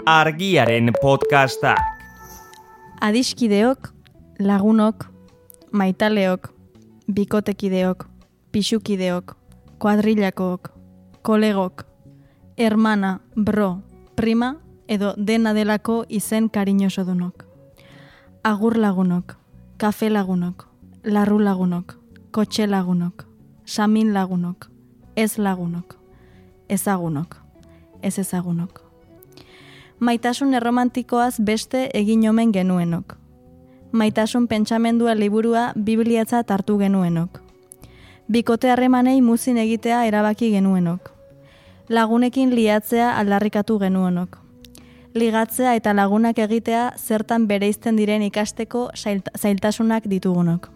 Argiaren podcastak. Adiskideok, lagunok, maitaleok, bikotekideok, pixukideok, kuadrillakook, kolegok, hermana, bro, prima edo dena delako izen kariñosodunok. Agur lagunok, kafe lagunok, larru lagunok, kotxe lagunok, samin lagunok, ez lagunok, ezagunok, ez ezagunok. Maitasun erromantikoaz beste egin omen genuenok. Maitasun pentsamendua liburua bibliatzat hartu genuenok. Bikote harremanei muzin egitea erabaki genuenok. Lagunekin liatzea aldarrikatu genuenok. Ligatzea eta lagunak egitea zertan bereizten diren ikasteko zailtasunak ditugunok.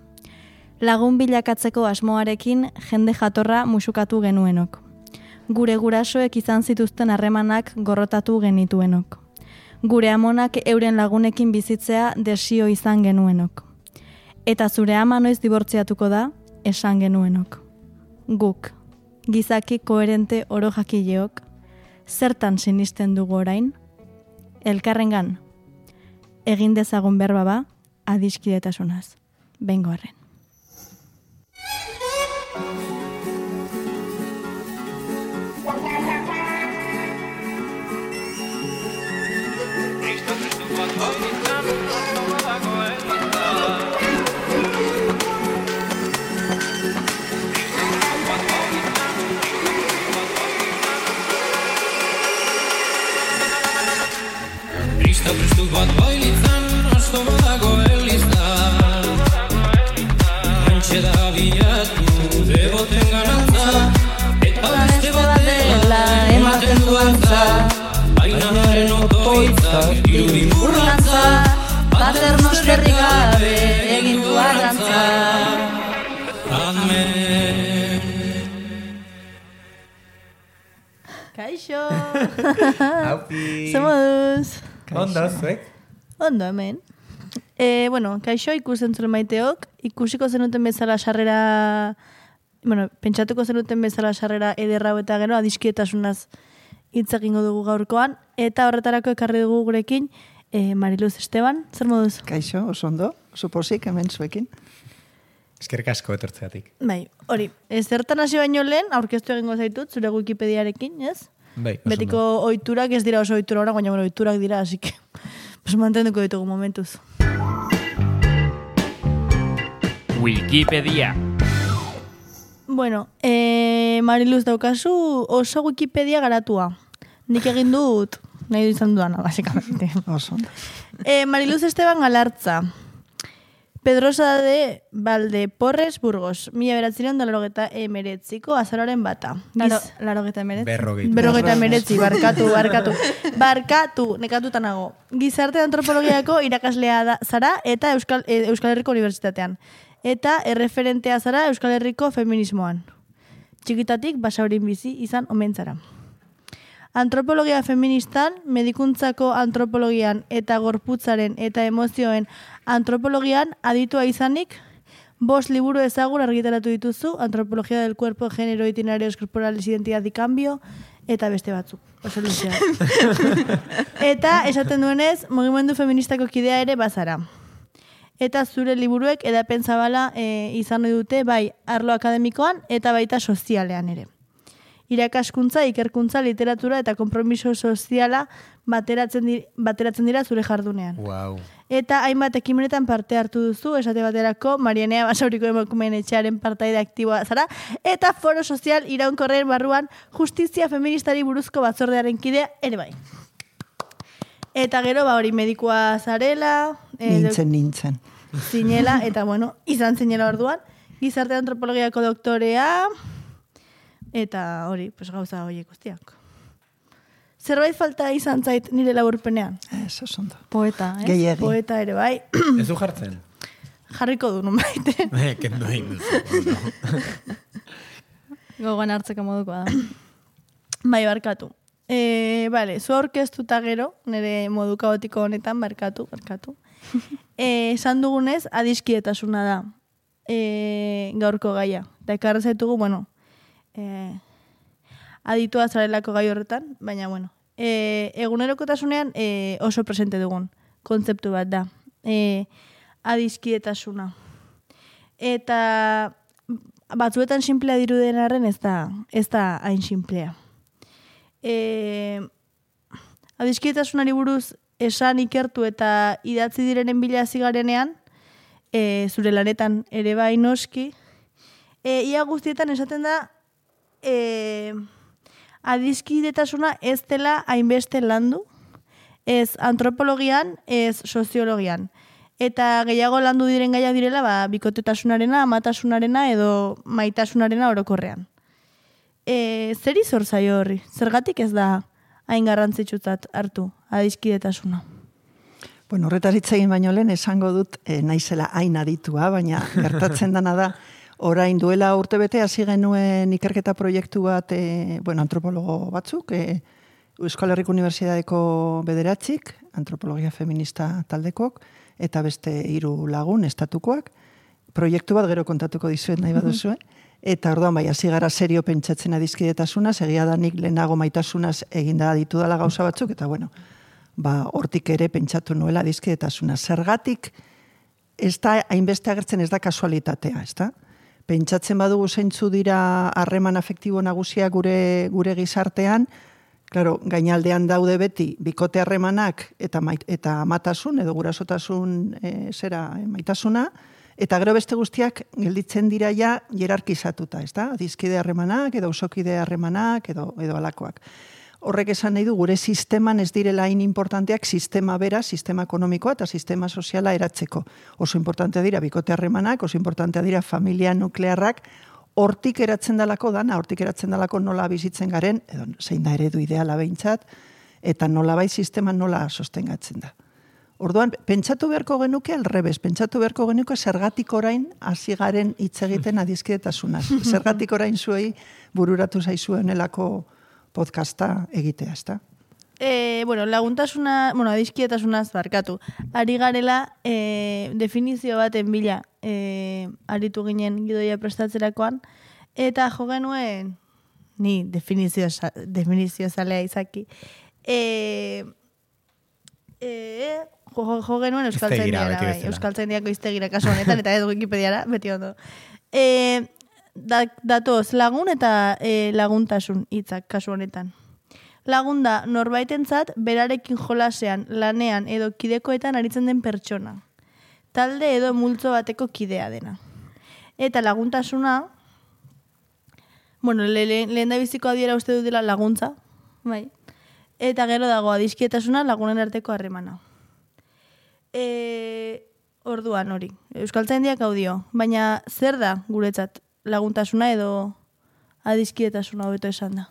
Lagun bilakatzeko asmoarekin jende jatorra musukatu genuenok. Gure gurasoek izan zituzten harremanak gorrotatu genituenok. Gure amonak euren lagunekin bizitzea desio izan genuenok. Eta zure ama noiz dibortziatuko da, esan genuenok. Guk, gizaki koherente oro jakileok, zertan sinisten dugu orain? Elkarrengan, egin dezagun berba ba, adiskidetasunaz. Bengo arren. Prestu bat bailitzan, asto badago elizan. Antxe da bilatu, deboten ganantza, eta beste batela ematen duantza. Baina naren otoitzak irudin burlantza, paternos berri gabe egin du arrantza. Amen. Kaixo! Haupi! Zemoduz! Ondo, zuek? Ondo, hemen. Kaixo ikusten zuen maiteok, ikusiko zenuten bezala sarrera, pentsatuko zenuten bezala sarrera ederrau eta gero adiskidetasunaz hitz egingo dugu gaurkoan, eta horretarako ekarri dugu gurekin Mariluz Esteban, zer moduz? Kaixo, oso ondo, oso pozik hemen zuekin. Eskerrik asko etortzeatik. Bai, hori, zertan hasi baino lehen, aurkeztu egingo zaitut, zure Wikipediarekin, ez? Bai, oso Betiko ohiturak ez dira oso ohitura ora, baina ohiturak dira, así que pues mantenduko ditugu momentuz. Wikipedia. Bueno, Mariluz daukazu oso Wikipedia garatua. Nik egin dut, nahi du izan duana, básicamente. Oso ondo. Mariluz Esteban Galartza. Pedrosa de Valdeporres, Burgos. 1989ko azaroaren bata. Larogeta emeretzi. Berrogeta emeretzi, barkatu, nekatuta nago. Gizarte antropologiako irakaslea zara eta Euskal Herriko Unibertsitatean. Eta erreferentea zara Euskal Herriko feminismoan. Txikitatik basaurin bizi izan omen zara. Antropologia feministan, medikuntzako antropologian eta gorputzaren eta emozioen antropologian aditua izanik, 5 liburu ezagun argitaratu dituzu, Antropologia del cuerpo, género, itinerarios corporales, identidad y cambio, eta beste batzuk. Oso luzea. Eta esaten duenez, mugimendu feministako kidea ere bazara. Eta zure liburuek edapen zabala izan dute bai arlo akademikoan eta baita sozialean ere. Irakaskuntza, ikerkuntza, literatura eta konpromiso soziala bateratzen dira zure jardunean. Wow. Eta hainbat ekimenetan parte hartu duzu, esate baterako Marianea Basauriko emakumeen etxearen partaide aktiboa zara, eta foro sozial iraunkorren barruan justizia feministari buruzko batzordearen kidea ere bai. Eta gero, hori medikua zarela, Nintzen. zinela, eta izan zinela orduan, gizarte antropologiako doktorea, eta hori, gauza horiek guztiak. Zerbait falta izan zait nire laburpenean. Ez, oso ondo. Poeta, ez? Gehiegi. Poeta ere bai. Ez du jartzen? Jarriko du, nonbait. Kendu egin duzu. Gogoan hartzeko modukoa da. Bai, barkatu. Zu aurkeztuta gero, nire modu kaotiko honetan, barkatu. Esan dugunez, adiskidetasuna da gaurko gaia. Eta ekarra zaitugu, aditua zarelako gai horretan, baina, egunerokotasunean oso presente dugun kontzeptu bat da. Adiskidetasuna. Eta batzuetan simplea diruden arren ez da hain simplea. Adiskidetasunari buruz esan ikertu eta idatzi direnen bila hasi garenean, zure lanetan ere bai noski, ia guztietan esaten da adiskidetasuna ez dela hainbeste landu, ez antropologian, ez soziologian. Eta gehiago landu diren gaia direla, bikotetasunarena, amatasunarena edo maitasunarena orokorrean. Zer izor zaio horri? Zergatik ez da hain garrantzitsutzat hartu adiskidetasuna? Bueno, horretaz hitz egin baino lehen esango dut naizela hain aditua, baina gertatzen dana da, orain duela urtebete hasi genuen ikerketa proiektu bat, antropologo batzuk, Euskal Herriko Unibertsitateko 9, antropologia feminista taldekok, eta beste 3 lagun estatukoak. Proiektu bat gero kontatuko dizuet nahi baduzue. Eta orduan bai, hasi gara serio pentsatzen adiskidetasunaz, egia da nik lehenago maitasunaz eginda ditu dela gauza batzuk, eta hortik ere pentsatu nuela adiskidetasuna. Zergatik ez da hainbeste agertzen, ez da kasualitatea, ez da? Pentsatzen badugu zeintzu dira harreman afektibo nagusia gure gizartean, claro, gainaldean daude beti bikote harremanak eta amatasun edo gurasotasun maitasuna, eta gero beste guztiak gelditzen dira ja jerarkizatuta, ez da? Adiskide harremanak edo ausokide harremanak edo alakoak. Horrek esan nahi du gure sisteman ez direla hain importanteak sistema bera, sistema ekonomikoa eta sistema soziala eratzeko. Oso importantea dira bikote harremanak, oso importantea dira familia nuklearrak, hortik eratzen dalako dana, hortik eratzen dalako nola bizitzen garen, edo zein da eredu ideala behintzat, eta nola bai sistema nola sostengatzen da. Orduan, pentsatu beharko genuke alrebez, pentsatu beharko genuke zergatik orain hasi garen hitz egiten adiskidetasunaz. Zergatik orain zuei bururatu zaizuenelako podcasta egitea, ezta? Adiskidetasunaz barkatu. Ari garela definizio baten bila aritu ginen gidoia prestatzerakoan, eta jo genuen, ni definizio zalea izaki, jo genuen Euskaltzaindiako iztegira kasu honetan, eta ez Wikipediara, beti ondo. Datoz, lagun eta laguntasun hitzak kasu honetan. Lagun da norbaitentzat berarekin jolasean, lanean edo kidekoetan aritzen den pertsona. Talde edo multzo bateko kidea dena. Eta laguntasuna, lehen da biziko adiera uste dut dela laguntza, bai. Eta gero dago adiskidettasuna lagunen arteko harremana. Orduan hori, Euskaltzaindiak hau dio, baina zer da guretzat laguntasuna edo adiskidetasuna hobeto esan da?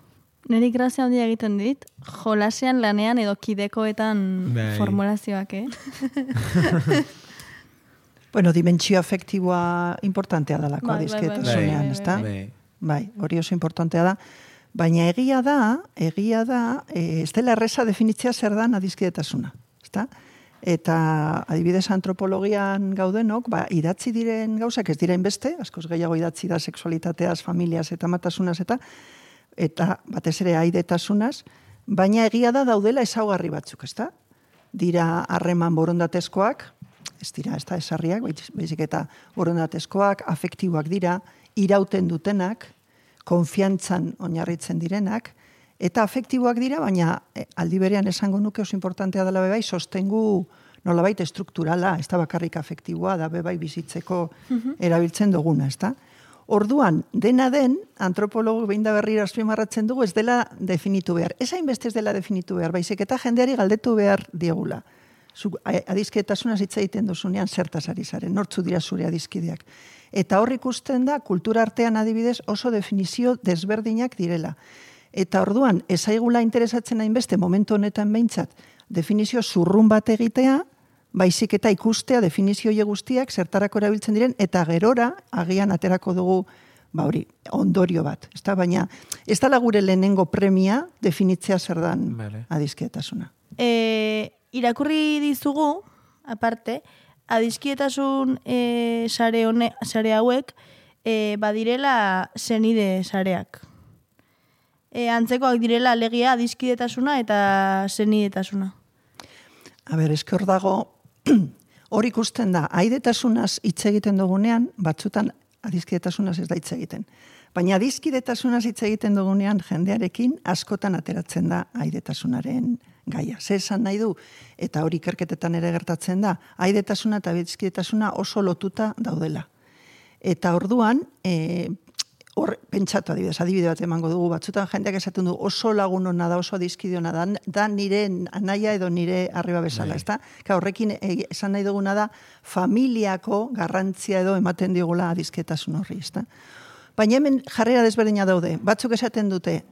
Neri grazia handia egiten dit, jolasean, lanean edo kidekoetan formulazioak, Dimentsio afektiboa importantea dalako adiskidetasunean, ezta? Bai, hori oso importantea da. Baina egia da, ez dela erreza definitzea zer dan adiskidetasuna, ezta? Eta adibidez antropologian gaudenok, idatzi diren gauzak ez diren beste, askoz gehiago idatzi da sexualitateaz, familiaz eta matasunaz eta batez ere aidetasunaz, baina egia da daudela ezaugarri batzuk, ezta? Dira harreman borondatezkoak, ez dira, ez da esarriak, baizik eta borondatezkoak, afektiboak dira, irauten dutenak, konfiantzan oinarritzen direnak, eta afektiboak dira, baina aldi berean esango nuke oso importantea dela bebai, sostengu nolabait estrukturala, ez da bakarrik afektiboa, da bebai bizitzeko erabiltzen duguna, ez da? Orduan, dena den, antropologo behin da berriro azpimarratzen dugu, ez dela definitu behar. Ez hainbeste ez dela definitu behar, baizik eta jendeari galdetu behar diegula. Adiskidetasunaz hitz egiten duzunean zertaz ari zaren, nortzu dira zure adiskideak. Eta hor ikusten da, kultura artean adibidez oso definizio desberdinak direla. Eta orduan, ez aigula interesatzen hainbeste momentu honetan behintzat, definizio zurrun bat egitea, baizik eta ikustea definizio guztiak zertarako erabiltzen diren, eta gerora agian aterako dugu ondorio bat. Baina ez dela gure lehenengo premia definitzea zer dan adiskidetasuna. Irakurri dizugu, aparte, adiskidetasun sare hauek badirela senide sareak. antzekoak direla alegia adiskidetasuna eta senidetasuna. Eske hor dago, hor ikusten da, aidetasunaz hitz egiten dugunean, batzutan adiskidetasunaz ez da hitz egiten. Baina adiskidetasunaz hitz egiten dugunean jendearekin askotan ateratzen da aidetasunaren gaia. Ze esan nahi du, eta hori ikerketetan ere gertatzen da, aidetasuna eta adiskidetasuna oso lotuta daudela. Eta orduan, hor pentsatu adibide bat emango dugu, batzutan jendeak esaten du oso lagun hona da, oso adiskide hona da nire anaia edo nire arriba bezala, ezta? Horrekin esan nahi duguna da familiako garrantzia edo ematen diogula adiskidetasun horri, ezta? Baina hemen jarrera desberdina daude. Batzuk esaten dute,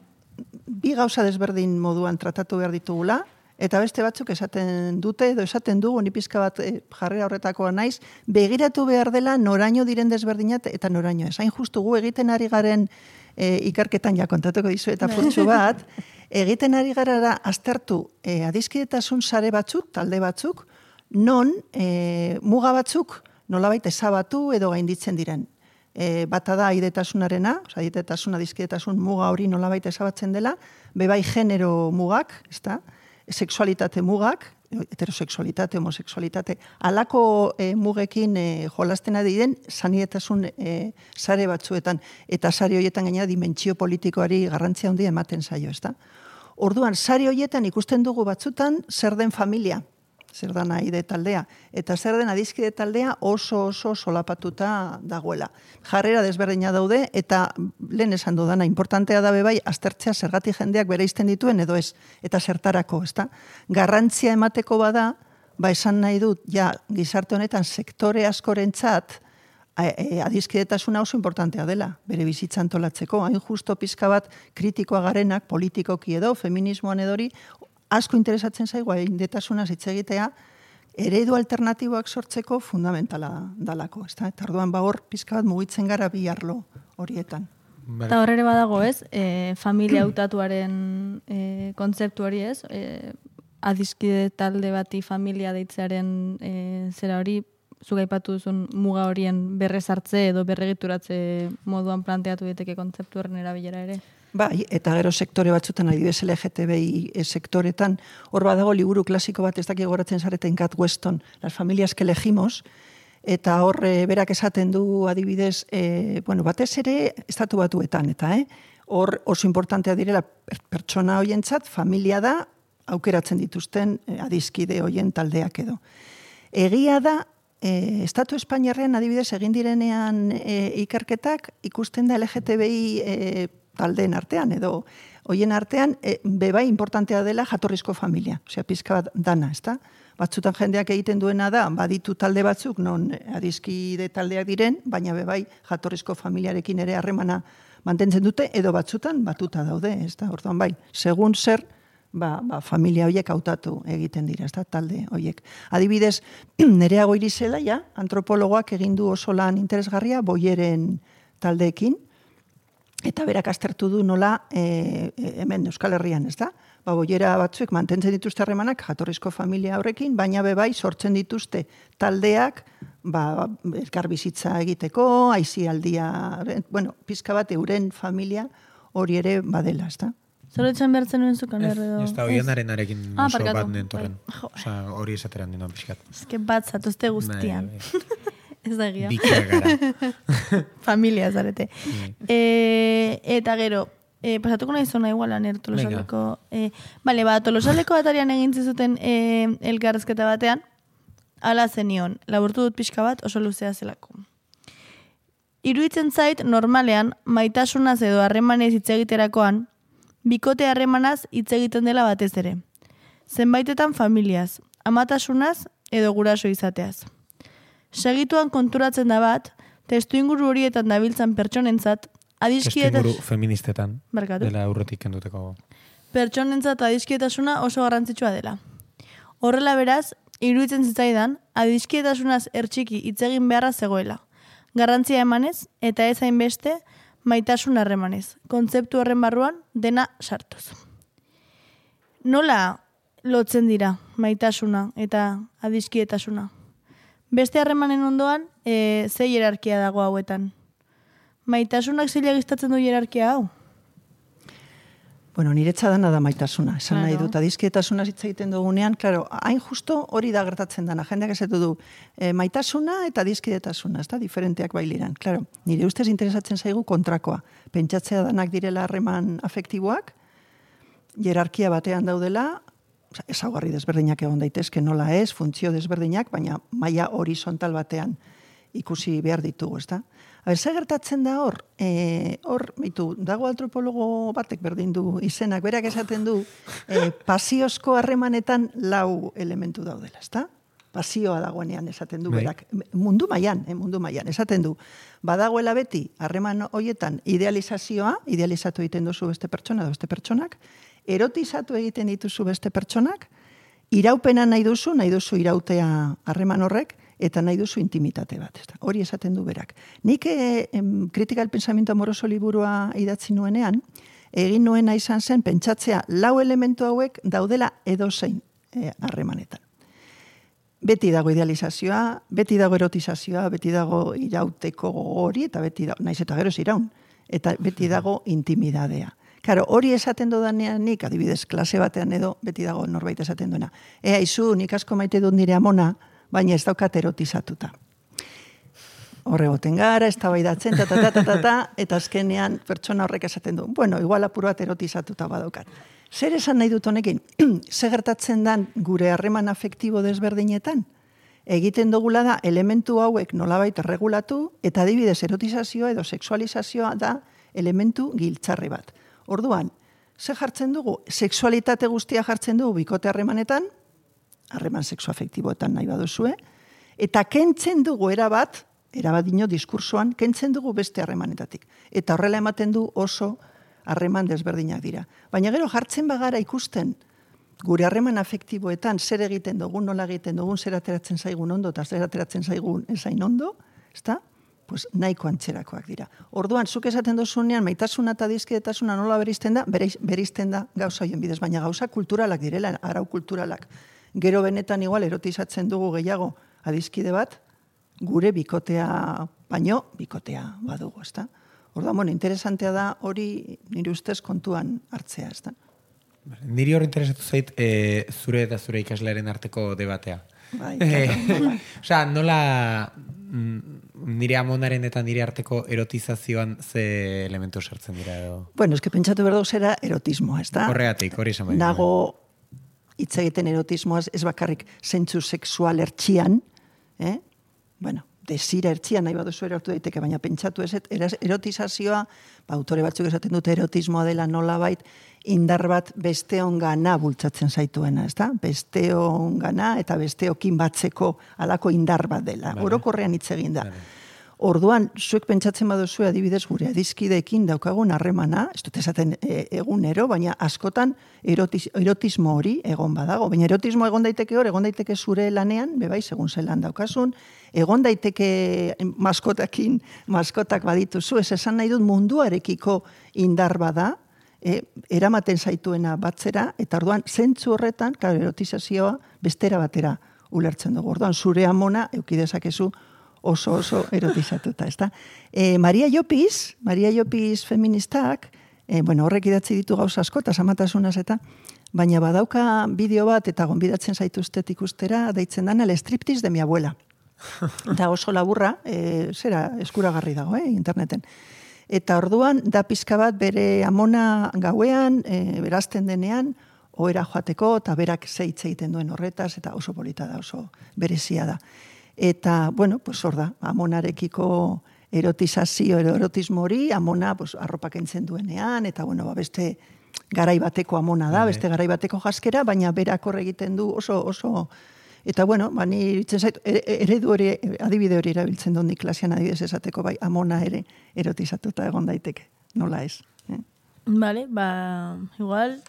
bi gauza desberdin moduan tratatu behar ditugula, eta beste batzuk esaten dute, edo esaten dugu, ni pizka bat jarrera horretakoa naiz, begiratu behar dela noraino diren desberdinat eta noraino ez. Hain justu gu egiten ari garen ikerketan ja kontatuko dizu eta purtsu bat, egiten ari gara da aztertu adiskidetasun sare batzuk, talde batzuk, non muga batzuk nolabait ezabatu edo gainditzen diren. Bata da aidetasunarena, aidetasuna, adiskidetasun muga hori nolabait ezabatzen dela, bebai genero mugak, ezta? Sexualitate mugak, heterosexualitate, homosexualitate, alako mugekin jolastena diren sanidetasun sare batzuetan, eta sare horietan gainera dimentsio politikoari garrantzia handia ematen zaio, ezta? Orduan, sare horietan ikusten dugu batzutan zer den familia, zer da aide taldea, eta zer den adiskide taldea oso solapatuta dagoela. Jarrera desberdina daude, eta lehen esan dudana, importantea da bebai, aztertzea zergatik jendeak bereizten dituen edo ez, eta zertarako, ezta? Garrantzia emateko bada, esan nahi dut, gizarte honetan sektore askorentzat, adiskidetasuna oso importantea dela, bere bizitza antolatzeko, hain justo pizka bat kritikoa garenak, politikoki edo, feminismoan edori, asko interesatzen zaigu aidetasunaz hitz egitea, eredu alternatiboak sortzeko fundamentala dalako, ezta? Eta orduan hor pizka bat mugitzen gara bi arlo horietan. Eta horre badago, ez? Familia hautatuaren kontzeptu hori, ez? Adiskide talde bati familia deitzearen zera hori, zuk aipatu duzun muga horien berrezartze edo berregituratze moduan planteatu daiteke kontzeptu horren erabilera ere. Bai, eta gero sektore batzutan, adibidez LGTBI sektoretan, hor badago liburu klasiko bat, ez dakik goratzen zareten Kat Weston, Las familias que elegimos, eta hor berak esaten du adibidez, batez ere estatu batuetan, eta hor oso importantea direla pertsona hoientzat, familia da, aukeratzen dituzten adiskide hoien taldeak edo. Egia da, Estatu Espainiarrean adibidez egin direnean ikerketak, ikusten da LGTBI taldeen artean, edo hoien artean, bebai importantea dela jatorrizko familia. Osea, pizka bat dana, ezta? Batzutan jendeak egiten duena da, baditu talde batzuk, non adiskide taldeak diren, baina bebai jatorrizko familiarekin ere harremana mantentzen dute, edo batzutan batuta daude, ezta? Orduan bai, segun zer, familia horiek hautatu egiten dira, ezta? Talde horiek. Adibidez, Nerea Goirizela, antropologoak egin du oso lan interesgarria, Boyeren taldeekin, eta berak aztertu du nola hemen Euskal Herrian, ez da? Boyera batzuek mantentzen dituzte harremanak jatorrizko familia horrekin, baina bebai sortzen dituzte taldeak elkar bizitza egiteko, aisialdia, pizka bat euren familia hori ere badela, ez da? Zorotzen behartzen nuen zukan erredo. Ez da oienarenarekin oso bat nentorren. Osa, hori esateran dino pixkat. Ez que bat zatuzte guztian. Ez da egia. Bikea gara. Familia zarete. Eta gero, pasatuko nahi zona igualan Tolosaleko. Tolosaleko atarian egin zuten elkarrezketa batean, ala zenion, laburtu dut pixka bat oso luzea zelako. Iruditzen zait, normalean, maitasunaz edo harremanez hitz egiterakoan, bikote harremanaz hitz egiten dela batez ere. Zenbaitetan familiaz, amatasunaz edo guraso izateaz. Segituan konturatzen da bat, testu inguru horietan dabiltzan pertsonentzat, adiskietas... Testu inguru feministetan, Barkatu. dela aurretik kenduteko. Pertsonentzat adiskietasuna oso garrantzitsua dela. Horrela beraz, iruditzen zitzaidan, adiskietasunaz ertxiki hitz egin beharra zegoela. Garrantzia emanez, eta ez hainbeste, maitasun harremanez. Kontzeptu horren barruan, dena sartuz. Nola lotzen dira maitasuna eta adiskietasuna? Beste harremanen ondoan, ze hierarkia dago hauetan? Maitasunak zeila giztatzen du hierarkia hau? Bueno, niretza dana da maitasuna. Esan nahi dut, adiskidetasuna hitz egiten dugunean, claro, hain justo hori da gertatzen dana. Jendeak esaten du, maitasuna eta adiskidetasuna, ez da, diferenteak bailiran. Claro, nire ustez interesatzen zaigu kontrakoa. Pentsatzea danak direla harreman afektiboak, jerarkia batean daudela, ezaugarri desberdinak egon daitezke nola ez, funtzio desberdinak, baina maila horizontal batean ikusi behar ditugu, ez da? Zer gertatzen da hor, dago antropologo batek berdin du izenak, berak esaten du, pasiozko harremanetan 4 elementu daudela, ezta? Pasioa dagoenean esaten du, berak, mundu mailan, esaten du, badagoela beti harreman hoietan idealizatu egiten duzu beste pertsona edo beste pertsonak, erotizatu egiten dituzu beste pertsonak, iraupena nahi duzu irautea harreman horrek, eta nahi duzu intimitate bat. Hori esaten du berak. Nik kritika del pensamiento amoroso liburua idatzi nuenean, egin nuena izan zen pentsatzea 4 elementu hauek daudela edozein harremanetan. Beti dago idealizazioa, beti dago erotizazioa, beti dago irauteko hori, eta beti dago, naiz eta gero ez iraun, eta beti dago intimidadea. Karo, hori esaten dudanean nik, adibidez, klase batean edo, beti dago norbait esaten duena. Izu, nik asko maite dut nire amona, baina ez daukat erotizatuta. Horregoten gara, ez tabaidatzen, eta azkenean pertsona horrek esaten du. Bueno, igual apur bat erotizatuta badaukat. Zer esan nahi dut honekin? Zer gertatzen dan gure harreman afektibo desberdinetan? Egiten dugula da elementu hauek nolabait regulatu, eta adibidez erotizazioa edo sexualizazioa da elementu giltzarri bat. Orduan, zer jartzen dugu? Sexualitate guztia jartzen dugu bikote harremanetan, harreman sexuafektiboetan nahi baduzue, eta kentzen dugu erabat dino diskursoan, kentzen dugu beste harremanetatik. Eta horrela ematen du oso harreman desberdinak dira. Baina gero jartzen bagara ikusten gure harreman afektiboetan zer egiten dugun, nola egiten dugun, zer ateratzen zaigun ondo, eta zer ateratzen zaigun ezain ondo, ezta? Pues nahiko antzerakoak dira. Orduan, zuk esaten dozunean, maitasuna eta adiskidetasuna nola berizten da, berizten da gauza hoien bidez, baina gauza kulturalak direla, arau kulturalak. Gero benetan igual erotizatzen dugu gehiago adiskide bat, gure bikotea, baino bikotea badugu, ezta? Orduan, bueno, interesantea da hori nire ustez kontuan hartzea, ezta? Niri hori interesatu zait zure eta zure ikaslearen arteko debatea. Bai, Osa, nola nire amonaren eta nire arteko erotizazioan ze elementu sartzen dira edo? Bueno, eske pentsatu behar zera erotismoa, ezta? Horregatik, hori esan bai. Nago hitz egiten erotismoaz ez bakarrik zentzu sexual ertxian, bueno, desira ertxian nahi baduzu erortu daiteke, baina pentsatu ez, erotizazioa, autore batzuk esaten dute erotismoa dela nolabait, indar bat besteongana bultzatzen zaituena, ezta? Besteongana eta besteokin batzeko alako indar bat dela. Orokorrean hitz egin da. Orduan, zuek pentsatzen baduzu adibidez gure adiskideekin daukagun harremana, ez dut esaten egunero, baina askotan erotismo hori egon badago. Baina erotismo egon daiteke hor, egon daiteke zure lanean, bebai, segun zelan daukasun, egon daiteke maskotak badituzu, ez esan nahi dut munduarekiko indar bada, eramaten zaituena batzera, eta orduan, zentzu horretan, erotizazioa bestera batera ulertzen dugu. Orduan, zure amona eukidezakezu oso erotizatuta, ezta? Maria Llopis feministak, horrek idatzi ditu gauza asko, eta samatasunaz eta, baina badauka bideo bat, eta gonbidatzen zaituztet ikustera, deitzen dana, el striptease de mi abuela. Eta oso laburra, eskuragarri dago, interneten. Eta orduan, da pizka bat bere amona gauean, berazten denean, ohera joateko, eta berak zeitz egiten duen horretaz, eta oso polita da, oso berezia da. Eta, bueno, pues hor da, amonarekiko erotizazio, erotismo hori, amona arropak entzen duenean, eta, bueno, beste garaibateko amona da, beste garaibateko jaskera, baina berak hor egiten du oso, eta, bueno, ni iritzen zait, eredu hori, adibide hori erabiltzen dut nik klasean adibidez esateko, bai, amona ere erotizatuta egon daiteke, nola ez. Vale, igual,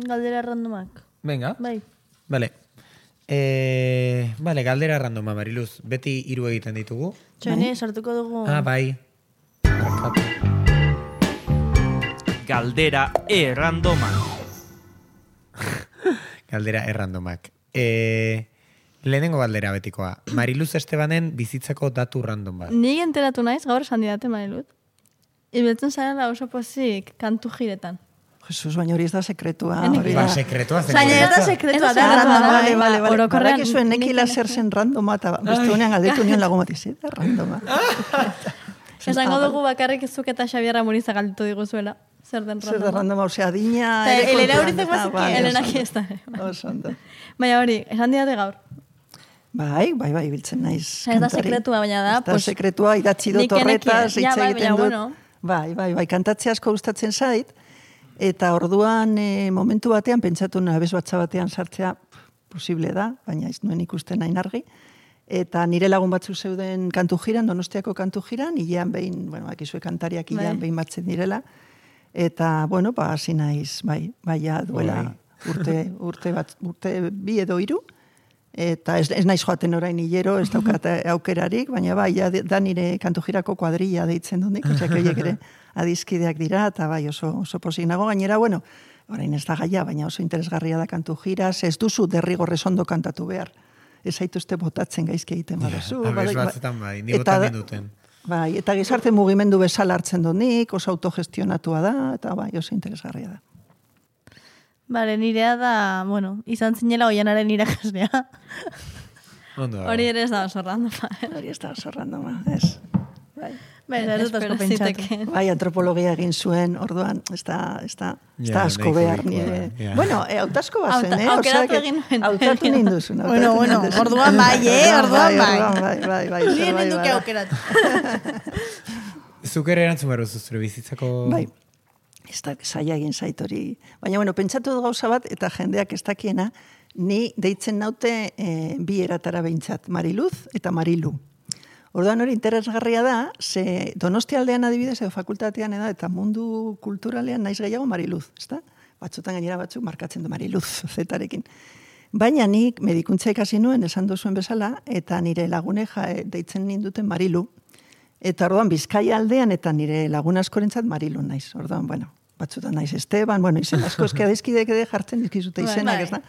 galdera randomak. Venga. Bai. Vale. Galdera randoma, Mariluz. Beti 3 egiten ditugu. Txone, sartuko dugu. Bai. Galdera errandoma. Galdera errandomak. Lehenengo galdera betikoa. Mariluz Estebanen bizitzako datu random bat. Nik enteratu naiz, gaur esan didate, Mariluz. Ibiltzen zarela oso pozik kantu jiretan. Jesus, baina hori ez da sekretua. Hori Ba, da. sekretua zen. Baina ez da sekretua da, randoma. Vale. Orokorrean, Badakizu eneki laser zen randoma, eta beste honean galdetu nion lagun bat izan, da randoma. esango dugu bakarrik zuk eta Xabierra Muriza galditu diguzuela. Zer den Zer da randoma. randoma, osea, adina... Eta ere Elena kontuan, Urizek eta, bazekien. bai, Elena oso aquí está. ondo. Oso ondo. Baina hori, esan didate gaur. Bai, biltzen naiz. Ez da kantari. sekretua, baina da, Ez da pues, sekretua, idatzi dut nik enekien. horretaz, hitz Ja, bai, egiten baina dut. bueno. Bai, kantatzea asko gustatzen zait, eta orduan momentu batean, pentsatu abez batza batean sartzea posible da, baina ez nuen ikusten hain argi, eta nire lagun batzu zeuden kantu jiran, Donostiako kantu jiran, hilean behin, bueno, akizue kantariak hilean behin batzen direla, eta, bueno, hasi naiz, bai, ja, duela urte bi edo hiru, eta ez naiz joaten orain hilero, ez daukat aukerarik, baina bai, ja, da nire kantu jirako kuadrilla deitzen dut nik, osea, horiek ere adizkideak dira, eta bai, oso posik nago, gainera, bueno, orain ez da gaia, baina oso interesgarria da kantu jira, ez duzu derrigorrez ondo kantatu behar. Ez zaituzte botatzen gaizki egiten baduzu. Abez batzetan bai, ni botan ninduten. Bai, eta gizarte mugimendu bezala hartzen dut nik, oso autogestionatua da, eta bai, oso interesgarria da. Bale, nirea da, bueno, izan zinela oianaren irakaslea. Ondo. Hori ere ez da oso randoma. Hori ez da oso randoma, ez. Bai. Bai, ez dut asko pentsatu. Bai, antropologia egin zuen, orduan, ez da asko behar nire. Ja. Bueno, hautasko bazen, aukeratu egin nuen. Hautatu ninduzun. Bueno, orduan bai, orduan Bai. Nire ninduke aukeratu. Zuk ere erantzun behar zure bizitzako... Bai, ez da zaila egin zait hori. Baina, bueno, pentsatu dut gauza bat, eta jendeak ez dakiena, ni deitzen naute bi eratara behintzat, Mariluz eta Marilu. Orduan hori interesgarria da, ze Donostialdean adibidez, edo fakultatean eta mundu kulturalean naiz gehiago Mariluz, ezta? Batzutan gainera batzuk markatzen du Mariluz, zetarekin. Baina nik medikuntza ikasi nuen, esan duzuen bezala, eta nire lagune deitzen ninduten Marilu. Eta orduan Bizkaia aldean eta nire lagun askorentzat Marilu naiz. Orduan, bueno, batzutan naiz Esteban, bueno, izen asko eskia dizkidek ere jartzen dizkizute izenak, ez da?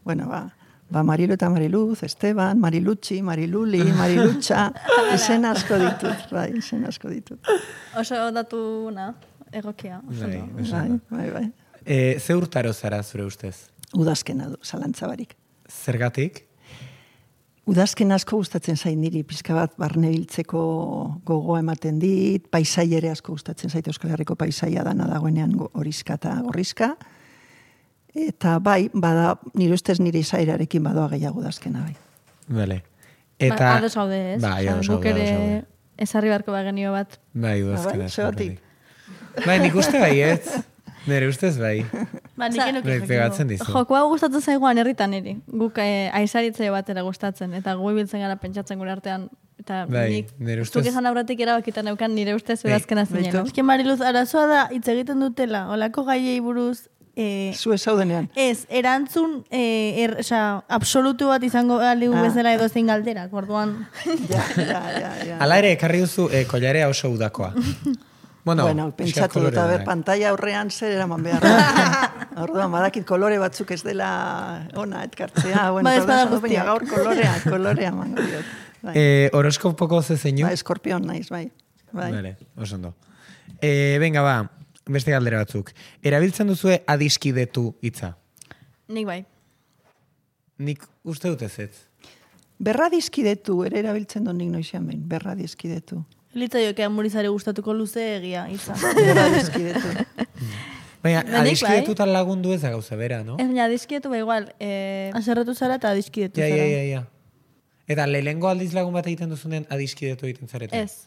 Bueno, ba, Marilu eta Mariluz, Esteban, Marilutxi, Mariluli, Marilutxa, izen asko ditut, bai, izen asko ditut. Oso datu, egokia. Bai. Ze urtaro zara zure ustez? Udazkena du, zalantzabarik. Zergatik? Udazken asko gustatzen zait niri, pizka bat barnebiltzeko gogoa ematen dit, paisai ere asko gustatzen zait Euskal Herriko paisaia dana dagoenean horizka eta gorrizka. Eta bai, nire ustez nire izairarekin badoa gehiago udazkena bai. Bale. Eta... Ados gaude, ez? Bai, ados guk gaude. ere ezarri barko bagenio bat. Bai, udazkena. Zegatik. Bai, nik uste bai, ez? Nire ustez bai. Ba, nik enuke Bai, pegatzen dizu. Jokoa gustatzen zaigoan herritan niri. Guk aizaritze batera gustatzen, eta gu ibiltzen gara pentsatzen gure artean. Eta Bai, nik, nire ustez- zuk esan aurretik erabakitan neukan nire ustez udazkena zinela. Eske Mariluz, arazoa da, hitz egiten dutela, olako gaiei buruz, Zu ez zaudenean. ez, erantzun, absolutu bat izango aligu bezala edo zein galderak, orduan. Ja. Hala ere, ekarri duzu koilarea oso udakoa. Bueno, pentsatu dut, pantalla aurrean zer eraman behar. Orduan, badakit kolore batzuk ez dela ona etkartzea. Bueno, Ba, ez bada baina guztiak. gaur kolorea mango diot. Bai. Horoskopoko ze zeinu? Ba, eskorpion naiz, bai. Vale, oso ondo. Venga, ba, beste galdera batzuk. Erabiltzen duzue adiskidetu hitza? Nik bai. Nik uste dut ez. Berra dizkidetu, ere erabiltzen dut nik noizean behin. Berra dizkidetu. Litza jokean Murizari gustatuko luze egia, izan. Berra dizkidetu. Baina, Nik bai. adiskidetutan lagundu ez da gauza bera, no? Ez baina dizkietu ba igual. Aserretu zara eta adiskidetu zara. Ja. Eta lehengo aldiz lagun bat egiten duzunen adiskidetu egiten zarete? Ez.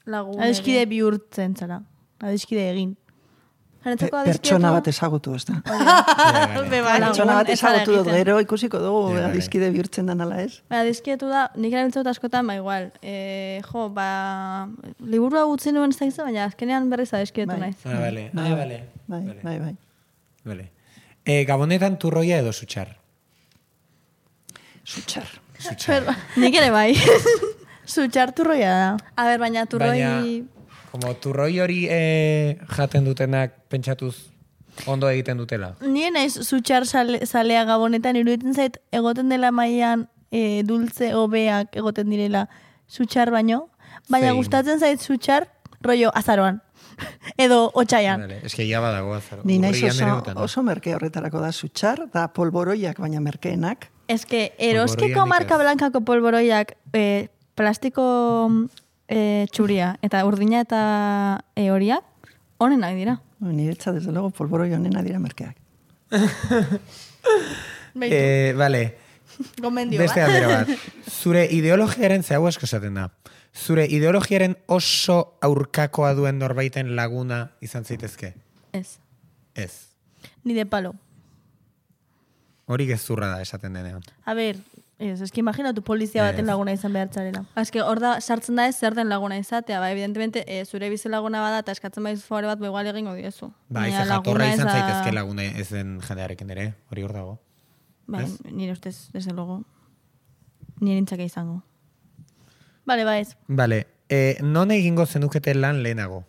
Lagun. Adiskide bihurtzen zara. Adiskide egin. Jaretzako adiskietu. Pertsona bat ezagutu, ez da. Pertsona bat ezagutu dut, gero ikusiko dugu Ja, bai. adizkide bihurtzen den ala ez. Dizkietu da, nik erabiltzen dut askotan, ba igual. Liburua gutzi nuen ez da izan, baina azkenean berriz adiskietu Bai. naiz. Bale. Bai. Vale. Gabonetan turroia edo sutxar? Sutxar. Nik ere bai. Zutxarturroia da. A ber, baina turroi... Como turroi hori jaten dutenak pentsatuz ondo egiten dutela. Nien naiz zutxar zalea gabonetan, iruditzen zait egoten dela mailan dultze hobeak egoten direla zutxar baino, baina Zein? gustatzen zait zutxar rollo azaroan. Edo otxaian. Vale, eske ja badago azaro. Ni naiz Urrian ere utan, oso merke horretarako da sutxar, da polboroiak, baina merkeenak. Ez que eroskeko Polboroianik marka ez. blankako polboroiak plastiko txuria eta urdina eta horiak honenak dira. Niretza, desde luego, polboroi honena dira merkeak. Vale, Gomendio beste bat. galdera bat. Zure ideologiaren, ze hau asko esaten da, zure ideologiaren oso aurkakoa duen norbaiten laguna izan zaitezke? Ez. Ez. Ni de palo. Hori gezurra da esaten denean. A ber, eski imaginatu polizia baten laguna izan behartzarela. Azke, hor da, sartzen da ez zer den laguna izatea, ba, evidentemente, zure bizi laguna bada eta eskatzen baiz favore bat, igual egingo diezu. Ba, Baina ez jatorra laguna ez izan da- zaitezke laguna ez den jendearekin ere, hori hor dago. Ba, Ez? nire ustez, desde luego, nire nintzake izango. Bale, ba ez. Vale, non egingo zenukete lan lehenago?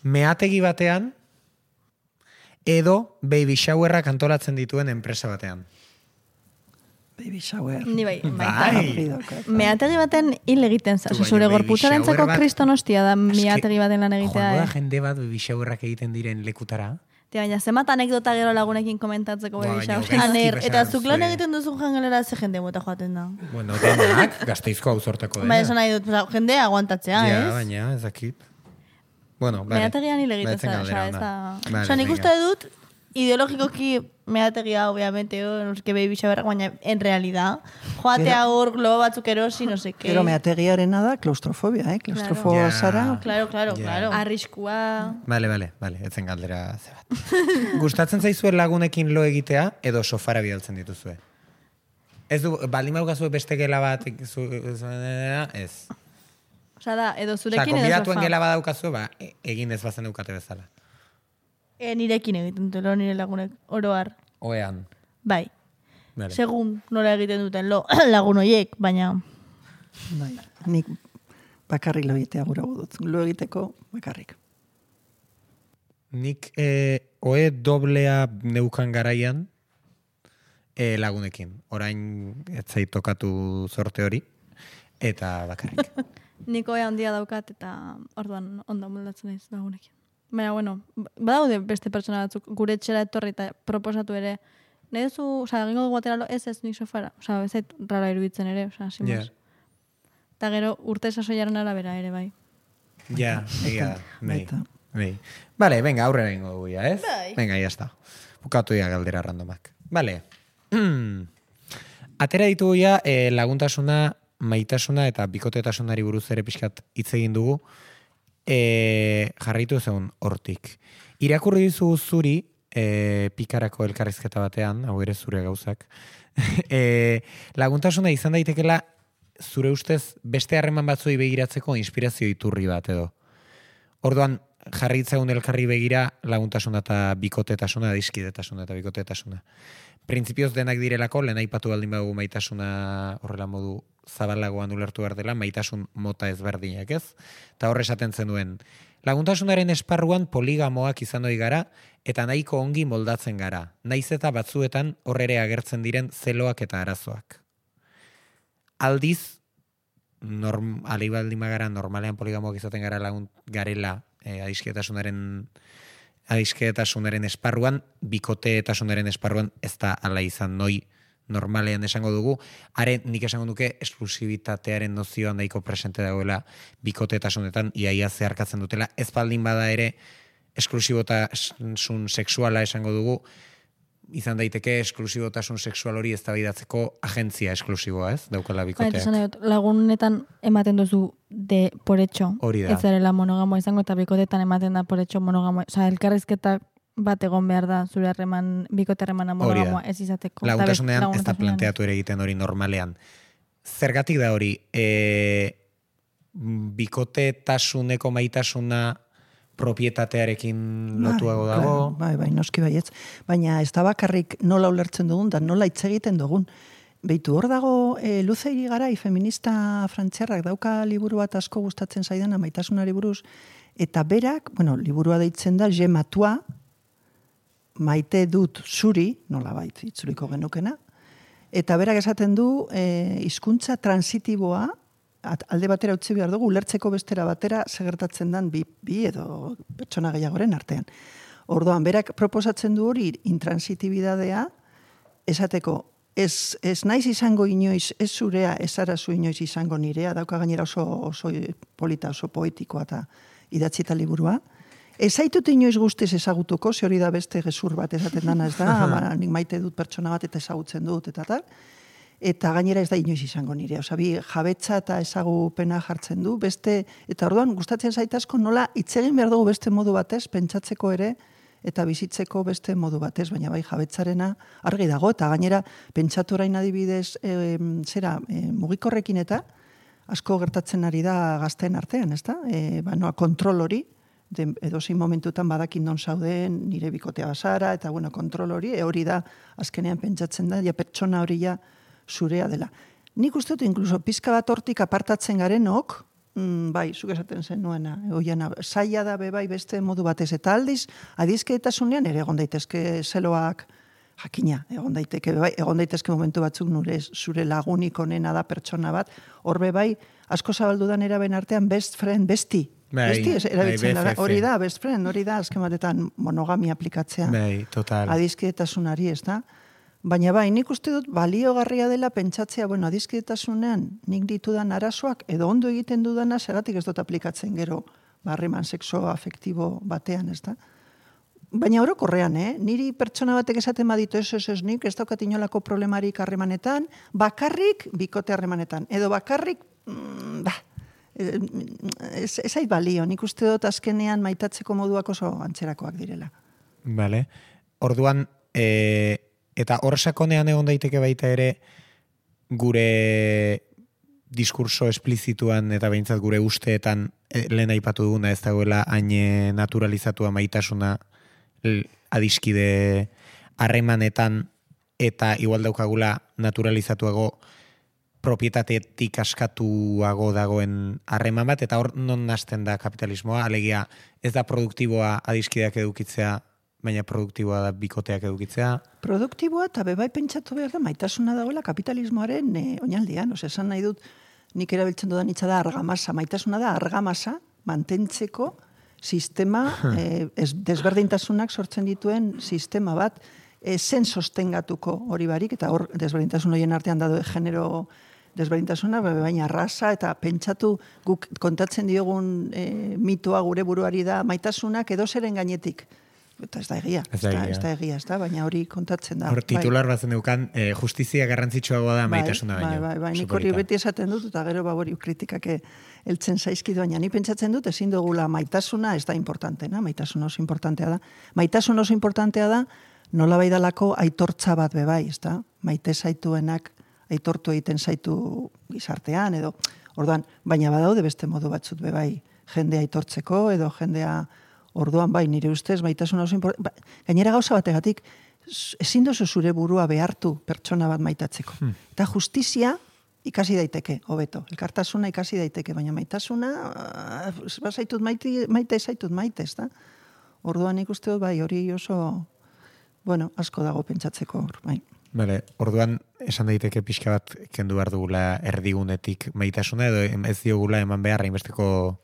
Meategi batean edo baby showerrak antolatzen dituen enpresa batean? Baby shower. Ni bai, Bai. Meategi baten hil egiten za. Tu, Zure baina baby gorputzarentzako shower bat- kristonostia da Eske, meategi baten lan egitea. Joango da jende bat baby showerrak egiten diren lekutara? Tia, baina zenbat anekdota gero lagunekin komentatzeko Ba, baby baina shower. gaizki Aner, eta besan zuk lan zure- egiten duzun jangelera ze jende mota joaten da. Bueno, denak, gazteizko auzortako dena. Ba, esan nahi dut, jende aguantatzea, Ja, ez? baina, ez dakit. Bueno, vale. Meategian hil egiten Batzen za, galdera ez ona. da... Vale, Osa, nik venga. uste dut, ideologikoki meategia, obviamente, no sé qué baby shower, baina en realidad, joatea hor globo batzuk erosi, no sé qué. Gero meategiarena da klaustrofobia, Klaustrofobia Ja. zara. Claro, claro, Ja. claro. Arriskua... Vale, etzen galdera ze bat. Gustatzen zaizue lagunekin lo egitea edo sofara bidaltzen dituzue? Ez du, baldin maukazue beste gela bat, ez. Osa da, edo Osa, zurekin edo konbidatuen sofa. gela badaukazue, ba, egin ez bazen eukate bezala. Nirekin egiten duten lo, nire lagunek, oroar. Oean. Bai. Vale. Segun nola egiten duten lo, lagun hoiek, baina... Bai, nik bakarrik lo egitea gura dut. Lo egiteko bakarrik. Nik oe doblea neukan garaian lagunekin. Orain ez zait tokatu zorte hori, eta bakarrik. Niko handia daukat eta orduan ondo moldatzen naiz lagunekin. Baina, bueno, badaude beste pertsona batzuk gure etxera etorri eta proposatu ere. Nahi duzu, oza, egingo dugu atera lo, ez nik sofara. Oza, ez zait rara iruditzen ere, oza, simos. Ja. Eta gero urte sasoiaren arabera ere, bai. Ja, egia da. Bai. Baita. Bai. Vale, venga, aurrera ingo dugu ya, ez? Bai. Venga, ya está. Bukatu ya galdera randomak. Vale. Atera ditugu ya laguntasuna, maitasuna eta bikotetasunari buruz ere pixkat hitz egin dugu. Jarraitu zeun hortik. Irakurri dizu zuri, pikarako elkarrizketa batean, hau ere zure gauzak, laguntasuna izan daitekela zure ustez beste harreman batzuei begiratzeko inspirazio iturri bat edo. Orduan, jarritzegun elkarri begira laguntasuna eta bikotetasuna, adiskidetasuna eta bikotetasuna. Printzipioz denak direlako, lehen aipatu baldin badugu maitasuna horrela modu zabalagoan ulertu behar dela, maitasun mota ezberdinak ez. Eta horre esaten zenuen, laguntasunaren esparruan poligamoak izan ohi gara, eta nahiko ongi moldatzen gara. Naiz eta batzuetan horrere agertzen diren zeloak eta arazoak. Aldiz, alibaldin bagara normalean poligamoak izaten gara lagun garela adisketasunaren esparruan, bikoteetasunaren esparruan ez da ala izan noi normalean esango dugu, nik esango duke esklusibitatearen nozioan nahiko presente dagoela bikoteetasunetan, iaia zeharkatzen dutela, ez baldin bada ere esklusibotasun sexuala esango dugu, izan daiteke esklusibotasun sexual hori eztabaidatzeko agentzia esklusiboa, ez? Daukala bikoteak. Lagunetan ematen duzu de por hecho. Hori da. Ez zarela monogamoa izango eta bikotetan ematen da por hecho monogamoa. Osa, elkarrizketa bat egon behar da zure harreman, bikote harremana monogamoa ez izateko. Laguntasunean ez da planteatu ere egiten hori normalean. Zergatik da hori, bikotetasuneko maitasuna propietatearekin lotuago dago. Bai, noski baietz. Baina ez da bakarrik nola ulertzen dugun, da nola hitz egiten dugun. Beitu hor dago Luzeiri Garai, feminista frantziarrak dauka liburu bat asko gustatzen zaidana maitasunari buruz, eta berak, liburua deitzen da, Je matua, maite dut zuri, nola bait, itzuliko genukena, eta berak esaten du, hizkuntza transitiboa alde batera utzi behar dugu, ulertzeko bestera batera segertatzen den bi edo pertsona gehiagoren artean. Orduan, berak proposatzen du hori intransitibidadea, esateko, ez naiz izango inoiz, ez zurea, ez arazu inoiz izango nirea, dauka gainera oso polita, oso poetikoa eta idatzita liburua. Ez zaitut inoiz guztiz ezagutuko, ze hori da beste gezur bat esaten dana, ez da, nik maite dut pertsona bat eta ezagutzen dut, eta tal. Eta gainera ez da inoiz izango nirea. Osa, bi jabetza eta ezagupena jartzen du, beste, eta orduan gustatzen zaitazko nola hitz egin behar dugu beste modu batez, pentsatzeko ere, eta bizitzeko beste modu batez, baina bai jabetzarena argi dago, eta gainera pentsatu orain adibidez mugikorrekin eta asko gertatzen ari da gazteen artean, ez da? Kontrol hori, edozein momentutan badakin non zauden, nire bikotea bazara, eta kontrol hori da, azkenean pentsatzen da, ja pertsona hori ja zurea dela. Nik uste dut, inkluso, pizka bat hortik apartatzen garenok, bai, zuk esaten zen nuena, zaila da bai beste modu batez, eta aldiz, adizkeetasunean ere egon daitezke zeloak jakina, egon daitezke momentu batzuk zure lagunik onena da pertsona bat, horbe bai, asko zabaldudan eraben artean best friend, besti erabiltzen da, hori da, best friend, hori da, azken batetan monogamia aplikatzea. Bai, total. Adizkeetasunari, ez da? Baina bai, nik uste dut baliogarria dela pentsatzea, adizkeetasunean nik ditudan arazoak, edo ondo egiten dudana, segatik ez dut aplikatzen gero, harreman sexo afektibo batean, ez da? Baina orokorrean, niri pertsona batek esaten baditu ez nik, ez daukat inolako problemarik harremanetan, bakarrik bikote harremanetan, edo bakarrik, ez ait balio, nik uste dut azkenean maitatzeko moduak oso antzerakoak direla. Vale. Orduan, eta hor sakonean egon daiteke baita ere gure diskurso esplizituan eta behintzat gure usteetan lehen aipatu duguna ez dagoela hain naturalizatua maitasuna adiskide harremanetan eta igual daukagula naturalizatuago propietatetik askatuago dagoen harreman bat, eta hor non hasten da kapitalismoa, alegia ez da produktiboa adiskideak edukitzea, baina produktiboa da bikoteak edukitzea. Produktiboa eta bebai pentsatu behar da maitasuna dagoela kapitalismoaren oinaldean. Esan nahi dut, nik erabiltzen dudan hitza da argamasa. Maitasuna da argamasa mantentzeko sistema, desberdintasunak sortzen dituen sistema bat, zen sostengatuko hori barik, eta hor desberdintasun horien artean dado genero desberdintasuna, baina raza, eta pentsatu guk kontatzen diogun mitoa gure buruari da maitasunak edo zeren gainetik. Eta ez da egia, ez da, baina hori kontatzen da. Hor titular bat zen dukan, justizia garrantzitsuagoa da maitasuna baino. Bai, nik hori beti esaten dut, eta gero hori kritikak heltzen zaizkidu, baina ni pentsatzen dut, ezin dugula maitasuna ez da importantena, maitasuna oso importantea da. Maitasuna oso importantea da, nola bai dalako aitortza bat bebai, ez da? Maite zaituenak aitortu egiten zaitu gizartean, edo, orduan, baina badaude beste modu batzut bebai, jendea aitortzeko, edo jendea. Orduan, bai, nire ustez, maitasuna oso gainera gauza bategatik, ezin dozu zure burua behartu pertsona bat maitatzeko. Eta justizia ikasi daiteke, hobeto. Elkartasuna ikasi daiteke, baina maitasuna, zaitut maite, ez da? Orduan ikuste dut, bai, hori oso, asko dago pentsatzeko, bai. Bale, orduan, esan daiteke pixka bat kendu behar dugula erdigunetik maitasuna, edo ez diogula eman beharra inbesteko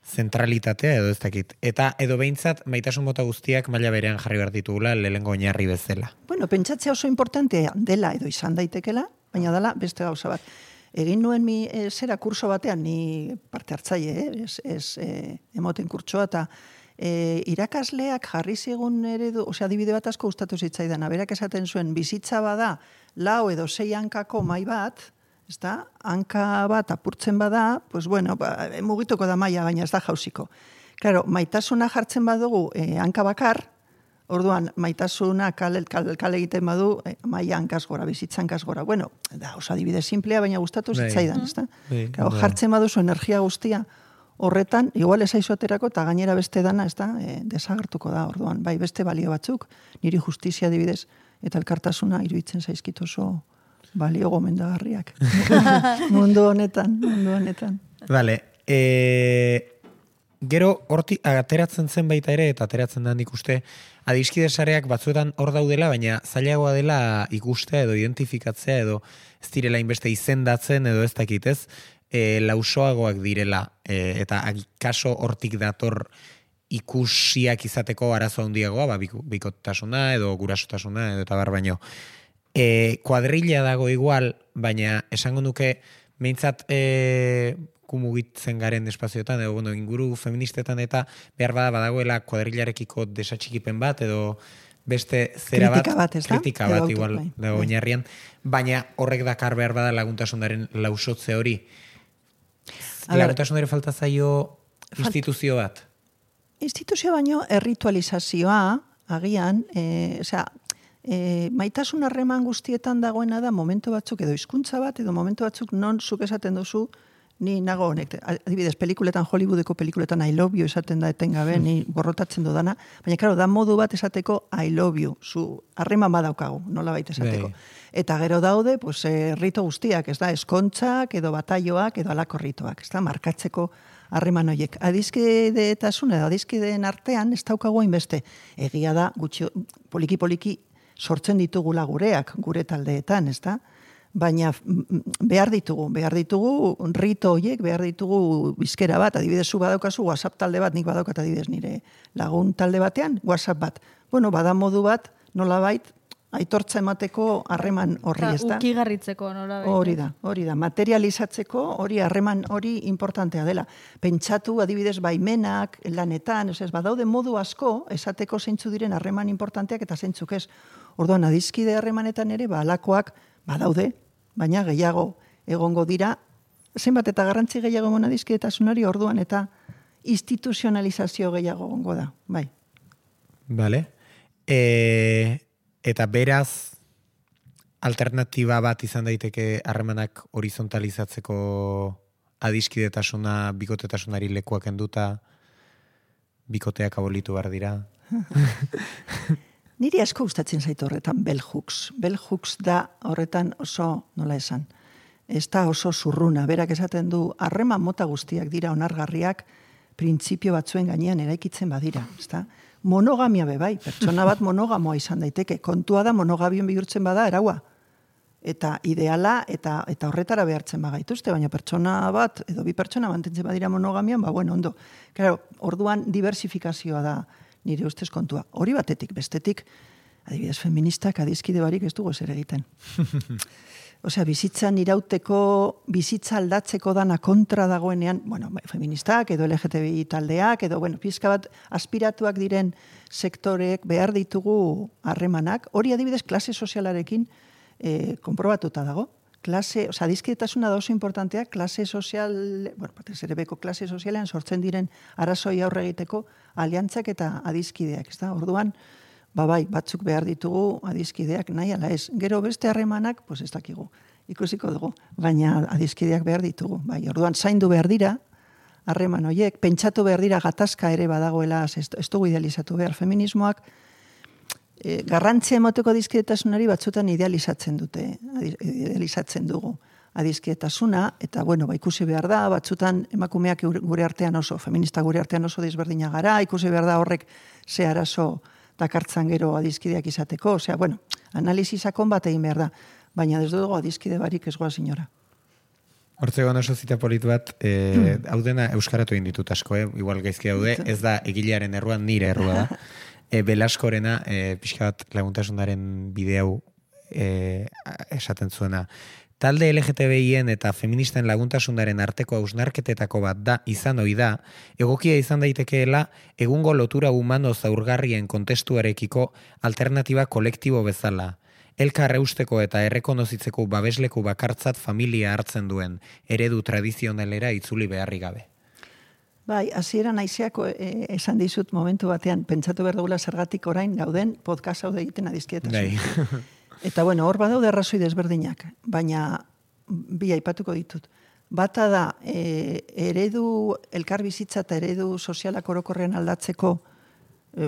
zentralitatea edo ez dakit. Eta edo behintzat maitasun mota guztiak maila berean jarri behar ditugula lehengo oinarri bezala. Pentsatzea oso importantea dela edo izan daitekela, baina dela beste gauza bat. Egin nuen zera kurso batean, ni parte hartzaile, emoten kurtsoa, eta irakasleak jarri zigun eredu, adibide bat asko gustatu zitzaidan, berak esaten zuen, bizitza bada, 4 edo 6 hankako mai bat, ezta, hanka bat apurtzen bada, mugituko da maila, baina ez da jausiko. Claro, maitasuna jartzen badugu hanka bakar, orduan maitasuna kale egiten badu maila hankaz gora, bizitza hankaz gora. Da oso adibide simplea, baina gustatu zitzaidan, ezta? Jartzen baduzu energia guztia horretan, igual esaizu aterako eta gainera beste dana, ezta, desagertuko da, orduan. Bai, beste balio batzuk, niri justizia adibidez, eta elkartasuna iruditzen zaizkit oso balio gomendagarriak. Mundu honetan. Vale. Gero hortik ateratzen zen baita ere, eta ateratzen da nik uste, adiskide sareak batzuetan hor daudela, baina zailagoa dela ikustea edo identifikatzea edo ez direla inbeste izendatzen edo ez dakit ez, lausoagoak direla, eta kaso hortik dator ikusiak izateko arazo handiagoa, bikotasuna edo gurasotasuna edo eta bar baino. Kuadrilla dago igual, baina esango nuke behintzat kumugitzen garen espazioetan, edo inguru feministetan eta behar badagoela kuadrillarekiko desatxikipen bat, edo beste zera kritika bat igual dago oinarrian, baina horrek dakar behar bada laguntasunaren lausotze hori. Laguntasunaren falta zaio instituzio bat? Instituzio baino erritualizazioa, agian, maitasun harreman guztietan dagoena da momentu batzuk edo hizkuntza bat edo momentu batzuk non zuk esaten duzu ni nago honek. Adibidez, pelikuletan, Hollywoodeko pelikuletan I love you esaten da etengabe, ni borrotatzen dudana, baina claro, da modu bat esateko I love you, zu harreman badaukagu, nolabait esateko. Eta gero daude, pues rito guztiak, ez da, eskontzak edo bataioak edo alako ritoak, ez da, markatzeko harreman horiek. Adiskideetasun edo adiskideen artean ez daukagu hainbeste. Egia da, poliki-poliki sortzen ditugula gureak, gure taldeetan, ez da? Baina behar ditugu rito horiek, behar ditugu bizkera bat, adibidez zu badaukazu WhatsApp talde bat, nik badaukat adibidez nire lagun talde batean, WhatsApp bat. Bueno, bada modu bat, nolabait, aitortza emateko harreman horri, ez da? Ukigarritzeko, nolabait. Hori da, materializatzeko hori harreman hori importantea dela. Pentsatu adibidez baimenak, lanetan, ez badaude modu asko, esateko zeintzu diren harreman importanteak eta zeintzuk ez. Orduan, adiskide harremanetan ere, alakoak badaude, baina gehiago egongo dira, zenbat eta garrantzi gehiago emon adiskidetasunari orduan eta instituzionalizazio gehiago egongo da, bai. Vale. Eta beraz, alternatiba bat izan daiteke harremanak horizontalizatzeko adiskidetasuna, bikotetasunari lekuak enduta, bikoteak abolitu behar dira. Niri asko gustatzen zaitu horretan bell hooks. Bell hooks da horretan oso, nola esan, ez da oso zurruna. Berak esaten du, harreman mota guztiak dira onargarriak, printzipio batzuen gainean eraikitzen badira. Ezta? Monogamia bai, pertsona bat monogamoa izan daiteke. Kontua da monogabion bihurtzen bada eraua. Eta ideala eta horretara behartzen bagaituzte, baina pertsona bat, edo bi pertsona mantentzen badira monogamian, ondo. Claro, orduan diversifikazioa da nire ustez kontua. Hori batetik, bestetik, adibidez feministak adiskide barik ez dugu zer egiten. Osea, bizitzan irauteko, bizitza aldatzeko dana kontra dagoenean, feministak edo LGTBI taldeak, edo, pizka bat aspiratuak diren sektoreek behar ditugu harremanak. Hori adibidez klase sozialarekin konprobatuta dago. Adiskidetasuna da oso importantea, klase sozial, batez ere beko klase sozialean sortzen diren arazoi aurre egiteko aliantzak eta adiskideak, ez da? Orduan, batzuk behar ditugu adiskideak nahi ala ez. Gero beste harremanak, ez dakigu, ikusiko dugu, baina adiskideak behar ditugu. Orduan, zaindu behar dira, harreman horiek, pentsatu behar dira gatazka ere badagoela, ez dugu idealizatu behar feminismoak, garrantzia emoteko adiskidetasunari batzutan idealizatzen dugu adiskidetasuna, eta ikusi behar da, batzutan emakumeak gure artean oso, feminista gure artean oso desberdina gara, ikusi behar da horrek ze arazo dakartzan gero adiskideak izateko, analizi sakon bat egin behar da, baina ez dugu adiskide barik ez goaz inora. Hortzeko oso zita polit bat, hau dena euskaratu egin ditut asko, igual gaizki daude, ez da egilearen erruan nire errua da. Belaskorena, pixka bat laguntasunaren bideo esaten zuena. Talde LGTBIen eta feministen laguntasunaren arteko hausnarketetako bat da, izan ohi da, egokia izan daitekeela egungo lotura humano zaurgarrien kontestuarekiko alternatiba kolektibo bezala. Elkar eusteko eta errekonozitzeko babesleku bakartzat familia hartzen duen, eredu tradizionalera itzuli beharri gabe. Hasieran naizeako esan dizut momentu batean, pentsatu behar dugula zergatik orain gauden podcast hau egiten adiskidetasun. Eta hor badaude arrazoi desberdinak, baina bi aipatuko ditut. Bata da, eredu elkar bizitza eta eredu sozialak orokorrean aldatzeko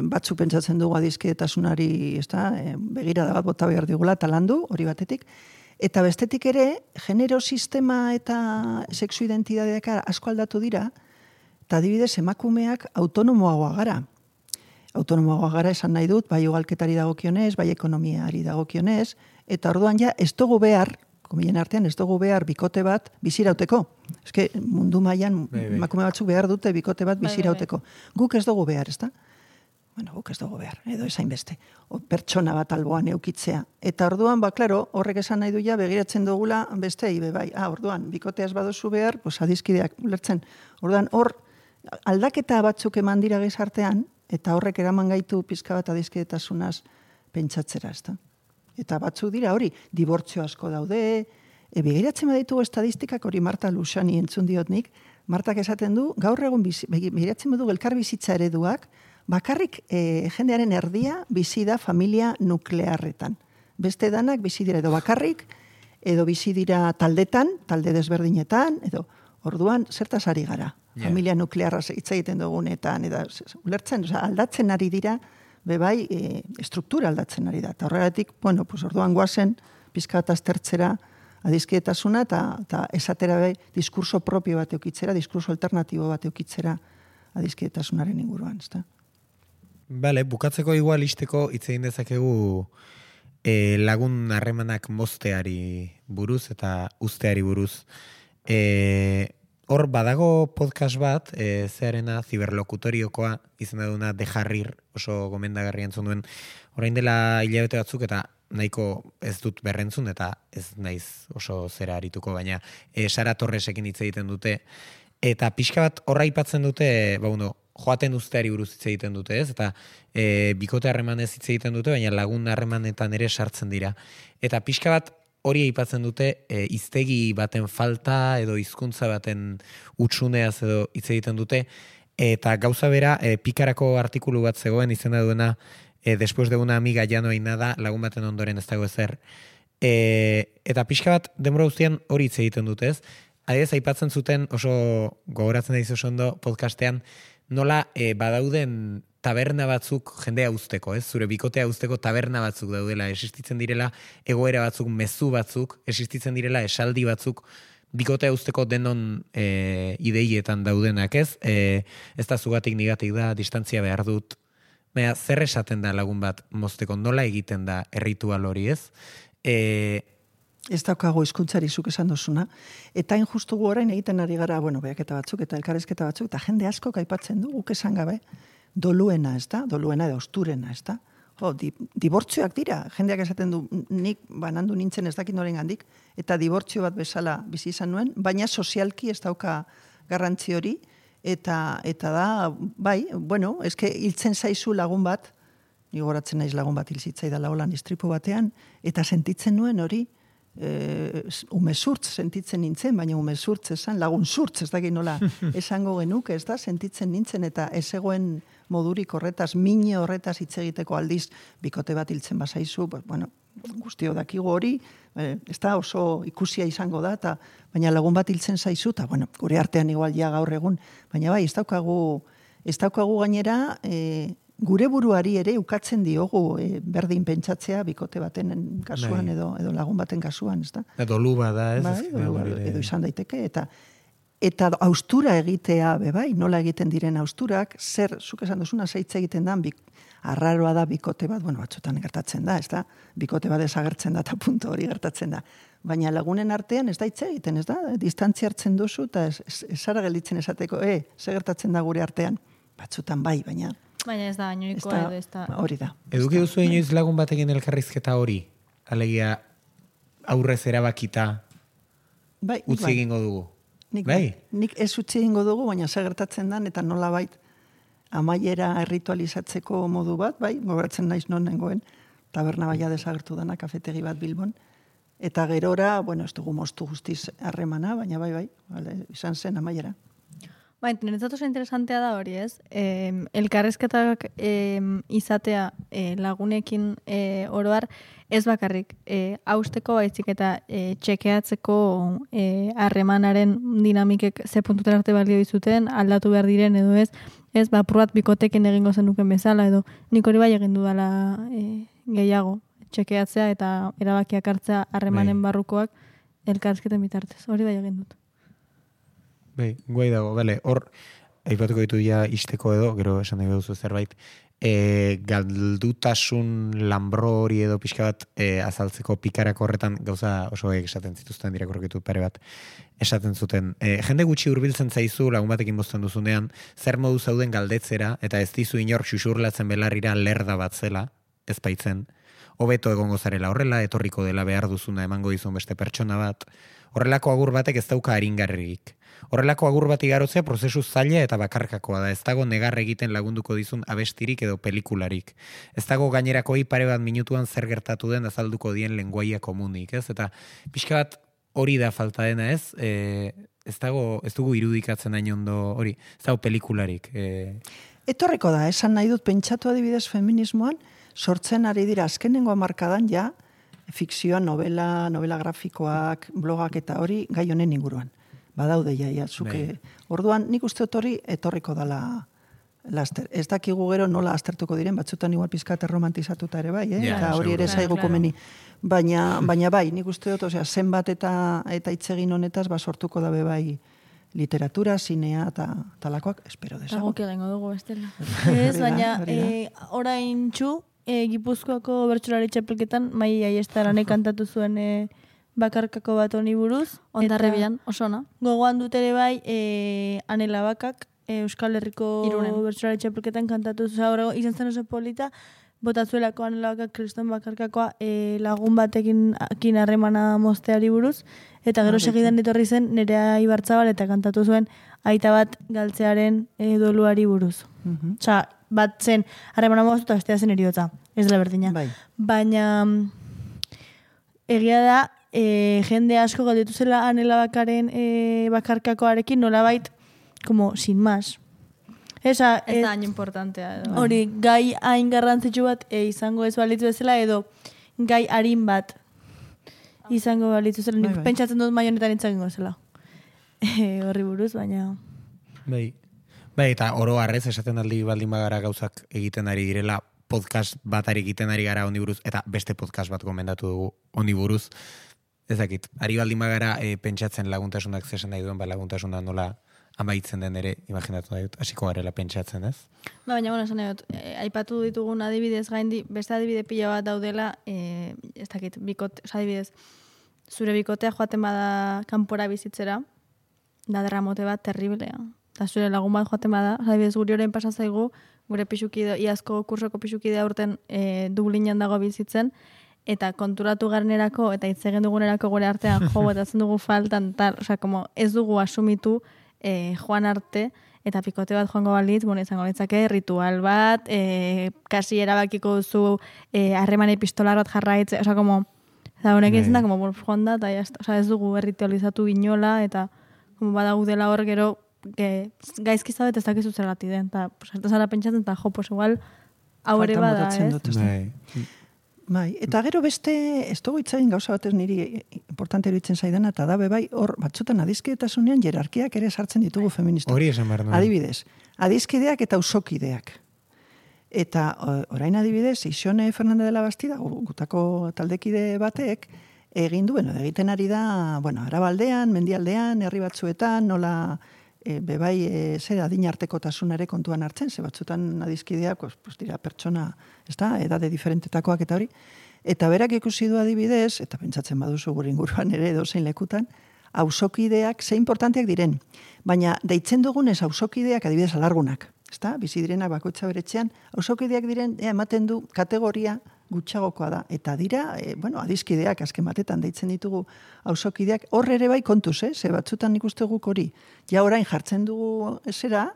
batzuk pentsatzen dugu adiskidetasunari, begirada bat bota behar digula talandu, hori batetik. Eta bestetik ere, genero sistema eta sexu identitateak asko aldatu dira, Eta adibidez, emakumeak autonomoagoa gara. Autonomoagoa gara esan nahi dut, bai ugalketari dagokionez, bai ekonomiari dagokionez, eta orduan ja, ez dugu behar, komillen artean, ez dugu behar bikote bat bizirauteko. Eske mundu mailan emakume batzuk behar dute bikote bat bizirauteko. Guk ez dugu behar, ezta? Bueno, guk ez dugu behar, edo esain beste. Pertsona bat alboan eukitzea. Eta orduan, klaro, horrek esan nahi du ja, begiratzen dugula beste, bai. Orduan, bikoteaz baduzu behar, pues adizkideak ulertzen. Orduan, hor, aldaketa batzuk eman dira gizartean, eta horrek eraman gaitu pizka bat adizkidetasunaz pentsatzera, ezta? Eta batzuk dira hori, dibortzio asko daude, begiratzen baditugu estadistikak hori Marta Lusani entzun diot nik, Martak esaten du, gaur egun begiratzen badugu elkar bizitza ereduak, bakarrik jendearen erdia bizi da familia nuklearretan. Beste danak bizi dira edo bakarrik, edo bizi dira taldetan, talde desberdinetan, edo orduan zertaz ari gara. Yeah. Familia nuklearra hitz egiten dugunetan, edo ulertzen, aldatzen ari dira, bebai, struktura aldatzen ari da. Eta horregatik, orduan guazen, pizka bat aztertzera adizkietasuna, eta esatera bai, diskurso propio bat eukitzera, diskurso alternatibo bat eukitzera adizkietasunaren inguruan, ezta? Bale, bukatzeko igual isteko hitz egin dezakegu lagun harremanak mozteari buruz eta usteari buruz. Hor badago podcast bat, zearena ziberlokutoriokoa izena duna de Jarrir, oso gomendagarri entzun duen, orain dela hilabete batzuk eta nahiko ez dut berrentzun eta ez naiz oso zera arituko, baina Sara Torresekin hitz egiten dute, eta pixka bat horra aipatzen dute, joaten usteari buruz hitz egiten dute, ez? Eta bikote harremanez hitz egiten dute, baina lagun harremanetan ere sartzen dira. Eta pixka bat hori aipatzen dute hiztegi baten falta edo hizkuntza baten utsuneaz edo hitz egiten dute, eta gauza bera Pikarako artikulu bat zegoen izena duena después de una amiga ya no hay nada, lagun baten ondoren ez dago ezer. Eta pixka bat denbora guztian hori hitz egiten dute, ez? Adibidez aipatzen zuten oso gogoratzen daizu oso ondo podcastean nola badauden taberna batzuk jendea uzteko, ez? Zure bikotea uzteko taberna batzuk daudela, existitzen direla egoera batzuk, mezu batzuk, existitzen direla esaldi batzuk, bikotea uzteko denon ideietan daudenak, ez? Ez da zugatik nigatik da, distantzia behar dut. Baina, zer esaten da lagun bat mozteko, nola egiten da erritual hori, ez? Ez daukago hizkuntzari zuk esan dozuna, eta injustu gu orain egiten ari gara, beaketa batzuk eta elkarrezketa batzuk, eta jende asko aipatzen du, guk esan gabe, doluena, ez da? Doluena edo osturena, ez da? Dibortzioak dira, jendeak esaten du, nik banandu nintzen ez dakit noren gandik, eta dibortzio bat bezala bizi izan nuen, baina sozialki ez dauka garrantzi hori, eta da, bai, eske hiltzen zaizu lagun bat, nigoratzen naiz lagun bat hilzitzaidala holan istripu batean, eta sentitzen nuen hori, umezurtz sentitzen nintzen, baina umezurtz esan, lagun zurtz, ez dakit nola esango genuke, ez da, sentitzen nintzen, eta ez egoen modurik horretaz, mine horretaz hitz egiteko aldiz, bikote bat hiltzen bazaizu, guztio dakigu hori, ez da oso ikusia izango da, baina lagun bat hiltzen zaizu, eta gure artean igual ja gaur egun, baina bai, ez daukagu gainera, gure buruari ere ukatzen diogu berdin pentsatzea bikote baten kasuan edo lagun baten kasuan, ez da? Dolu bada, ez? Edo izan daiteke, eta austura egitea, bai, nola egiten diren austurak, zer, zuk esan duzuna, zeitz egiten da, arraroa da bikote bat, batzutan gertatzen da, ez da? Bikote bat desagertzen da, eta punto hori gertatzen da. Baina lagunen artean ez da hitz egiten, ez da? Distantzia hartzen duzu, eta esara gelditzen esateko, ze gertatzen da gure artean? Batzutan bai, baina ez da, bainoikoa edo ez da. Hori da. Eduki duzu inoiz lagun batekin elkarrizketa hori? Alegia aurrez erabakita utzi egingo dugu? Nik ez utzi egingo dugu, baina gertatzen dan, eta nola bait amaiera erritualizatzeko modu bat, gogoratzen naiz non nengoen, taberna baia desagertu dana, kafetegi bat Bilbon, eta gerora, ez dugu moztu guztiz harremana, baina bai, izan zen amaiera. Niretzat oso interesantea da hori, ez? Elkarrezketak izatea lagunekin oroar, ez bakarrik hausteko baizik eta txekeatzeko harremanaren dinamikek ze puntutera arte balio dizuten, aldatu behar diren edo ez, probat bikotekin egingo zenuken bezala, edo nik hori bai egin dudala gehiago, txekeatzea eta erabakiak hartzea harremanen barrukoak elkarrezketen bitartez, hori bai egin dut. Guai dago, bale. Hor, aipatuko ditu ja isteko edo, gero esan nahi duzu zerbait, galdutasun lambro hori edo pixka bat azaltzeko pikarako horretan gauza oso esaten zituzten dirakorrekitu pare bat esaten zuten. Jende gutxi hurbiltzen zaizu lagun batekin bozten duzunean, zer modu zauden galdetzera, eta ez dizu inor xuxurlatzen belarrira lerda bat zela, ez baitzen, hobeto egongo zarela horrela, etorriko dela behar duzuna emango dizun beste pertsona bat, horrelako agur batek ez dauka aringarririk. Horrelako agur bat igarotzea prozesu zaila eta bakarkakoa da. Ez dago negar egiten lagunduko dizun abestirik edo pelikularik. Ez dago gainerakoi pare bat minutuan zer gertatu den azalduko dien lenguaia komunik, ez? Eta pixka bat hori da falta dena, ez? Ez dugu irudikatzen hain ondo hori. Ez dago pelikularik. Etorriko da, esan nahi dut pentsatu adibidez feminismoan, sortzen ari dira azkenengo hamarkadan ja, fikzioa, novela grafikoak, blogak eta hori gai honen inguruan. Badaude ja, zuke. Orduan, nik uste hori etorriko dala laster. Ez dakigu gero nola aztertuko diren, batzutan igual pizkate romantizatuta ere bai, eta hori ere zaigu komeni. Baina bai, nik uste dut, zenbat eta itzegin honetaz, sortuko dabe bai literatura, zinea eta talakoak, espero desago. Agok egingo dugu, bestela. Ez, baina orain txu, Gipuzkoako bertsolari txapelketan, mai aiestaranek kantatu zuen bakarkako bat honi buruz. Ondarribian, osona. Gogoan dut ere bai, Anela Bakak, Euskal Herriko bertsolari txapelketan kantatu zuen, izan zen oso polita, botazuelako Anela Bakak, Kriston bakarkakoa lagun batekin harremana mozteari buruz, eta gero segidan etorri zen Nerea Ibarzabal eta kantatu zuen aita bat galtzearen doluari buruz. Osa, bat zen harremana moztu eta bestea zen eriotza, ez dela berdina. Baina egia da, jende asko galdetu zela Anela Bakaren bakarkakoarekin nolabait, como sin más. Ez da hain importantea. Hori, gai hain garrantzitsu bat izango ez balitzu bezala, edo gai harin bat izango balitzu zela. Nik pentsatzen dut maionetan itzakingo zela. Horri buruz, baina... Bai, eta oro harrez esaten aldi baldin bagara gauzak egiten ari direla, podcast bat egiten ari gara honi buruz, eta beste podcast bat gomendatu dugu honi buruz. Ez dakit, ari baldin bagara pentsatzen laguntasunak zesan nahi duen, laguntasuna nola amaitzen den ere, imaginatu nahi dut, hasiko garela pentsatzen, ez? Baina, esan nahi dut, aipatu ditugun adibidez gaindi, beste adibide pila bat daudela, ez dakit, adibidez, zure bikotea joaten bada kanpora bizitzera, da derramote bat terriblea. Eta zure lagun bat joaten bada, adibidez, guri orain pasazaigu, gure pixukide, iazko kursoko pixukidea urten Dublinan dago bizitzen, eta konturatu garenerako, eta hitz egin dugunerako gure artean jo, eta zen dugu faltan, tal, osea, como ez dugu asumitu joan arte, eta pikote bat joango balitz, izango litzake, ritual bat, kasi erabakiko duzu harreman epistolar bat jarraitze, osea, como, eta honek izan da, como, joan da, eta osea, ez dugu erritualizatu inola, eta como badaudela hor gero, gaizki zabet ez dakizu zergati den, eta sartu zara pentsatzen, eta jo, pues igual, hau ere bada, ez? Bai, eta gero beste, ez dugu itzagin gauza batez niri importante eruditzen zaidana, eta dabe bai, hor batzutan adizkidetasunean jerarkiak ere sartzen ditugu feministak. Hori esan behar nuen. Adibidez, adizkideak eta auzokideak. Eta orain adibidez, Ixone Fernandez de la Bastida, gutako taldekide batek, egin duen, egiten ari da, Arabaldean, Mendialdean, herri batzuetan, nola... bebai zer adin artekotasunare kontuan hartzen, ze batzutan adizkideak, pues dira pertsona, ez da, edade diferentetakoak eta hori, eta berak ikusi du adibidez, eta pentsatzen baduzu gure inguruan ere edozein lekutan, auzokideak ze importanteak diren, baina deitzen dugunez auzokideak adibidez alargunak, ez da, bizi direnak bakoitza beretxean, auzokideak diren, ematen du kategoria gutxagokoa da, eta dira, adizkideak azken batetan deitzen ditugu auzokideak, hor ere bai kontuz, ze batzutan nik uste guk hori, ja orain jartzen dugu esera,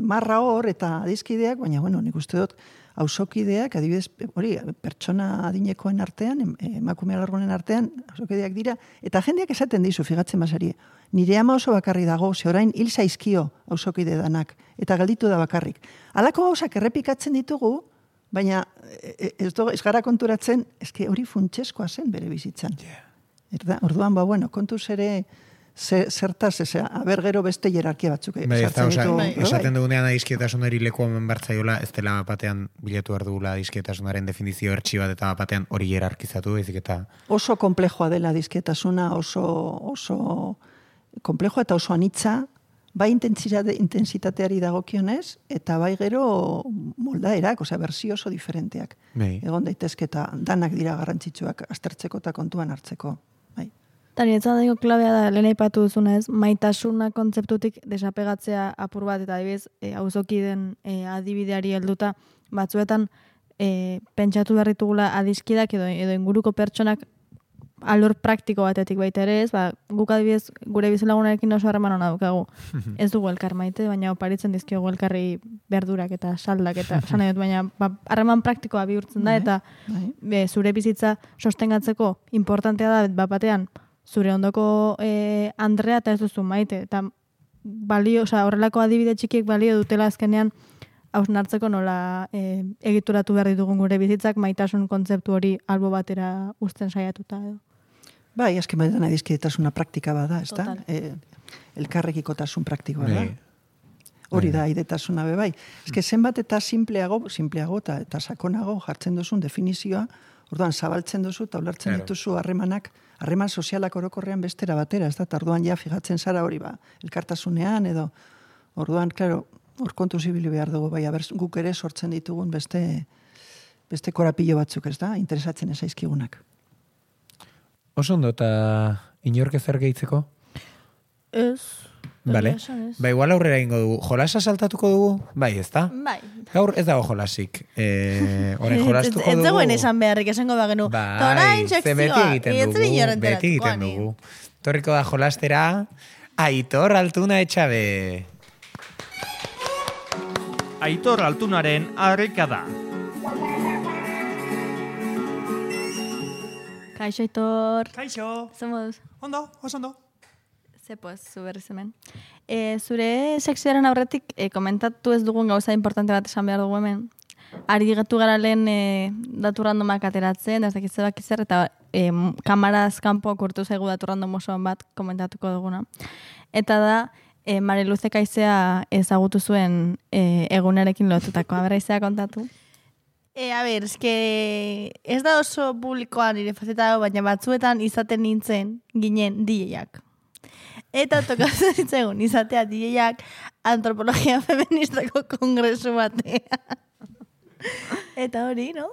marra hor eta adizkideak, baina nik uste dut auzokideak, adibidez, hori, pertsona adinekoen artean, emakume alargunen artean, auzokideak dira, eta jendeak esaten dizu, figatzen basarie, nire ama oso bakarri dago, ze orain hil zaizkio auzokide danak, eta galditu da bakarrik. Halako gauzak errepikatzen ditugu, baina ez gara konturatzen, hori funtseskoa zen bere bizitzan. Orduan, kontuz ere zertaz, haber gero beste jerarkia batzuk. Esaten dugunean adizkietasunari leku hemen bartzaiola, ez dela batean bilatu behar dugula adizkietasunaren definizio ertsi bat, eta batean hori jerarkizatu, ezik eta... Oso komplejoa dela adizkietasuna, oso komplejoa eta oso anitza, bai intensitateari dagokionez, eta bai gero moldaerak, osea, berzio oso diferenteak. Bai. Egon daitezke eta danak dira garrantzitsuak aztertzeko eta kontuan hartzeko. Bai. Eta niretzat dago klabea da, lehen aipatu duzunez, maitasuna kontzeptutik desapegatzea apur bat, eta adibidez, auzokiden adibideari helduta, batzuetan pentsatu behar ditugula adiskidak edo inguruko pertsonak alor praktiko batetik baita ere ez, guk adibidez gure bizilagunarekin oso harreman hona dukagu. Ez dugu elkar maite, baina oparitzen dizkiogu elkarri berdurak eta saldak eta sanai dut, baina harreman praktikoa bihurtzen da, eta zure bizitza sostengatzeko importantea da batean zure ondoko Andrea eta ez duzu maite, eta balio, horrelako adibide txikiek balio dutela azkenean hausnartzeko nola egituratu behar ditugun gure bizitzak maitasun kontzeptu hori albo batera uzten saiatuta edo. Bai, azken batetan adizkidetasuna praktika bada, ez da? Elkarrekikotasun praktikoa da. Hori da, aidetasuna be bai. Ez zenbat eta simpleago eta sakonago jartzen duzun definizioa, orduan zabaltzen duzu eta ulertzen dituzu harreman sozialak orokorrean bestera batera, ez da? Orduan ja fijatzen zara hori elkartasunean edo, orduan, klaro, hor kontu zibili behar dugu, bai, guk ere sortzen ditugun beste korapilo batzuk, ez da? Interesatzen ez aizkigunak. Oso ondo, eta inork ezer gehitzeko? Ez. Vale. Ba, igual aurrera ingo dugu. Jolasa saltatuko dugu? Bai, ez da? Bai. Gaur ez dago jolasik. Orain jolastuko dugu. Ez dagoen esan beharrik, esango bagenu. Bai, ze beti egiten dugu. Torriko da jolastera, Aitor Altuna Etxabe. Aitor Altunaren harrikada. Kaixo, Aitor. Kaixo. Zemoduz? Ondo, oso ondo. Zepoz, zu berriz hemen. Zure sekzioaren aurretik komentatu ez dugun gauza importante bat esan behar dugu hemen. Ari getu gara lehen datu randomak ateratzen, ez dakitze bakizzer, eta kamaraz kanpo kurtu zaigu datu random osoan bat komentatuko duguna. Eta da, Mariluze Kaizea ezagutu zuen egunarekin lotutako. Aberraizea kontatu? A ber, ez da oso publikoan nire faceta, baina batzuetan izaten ginen DJ-ak. Eta tokatzen ditzegun izatea DJ-ak antropologia feministako kongresu batea. Eta hori, no?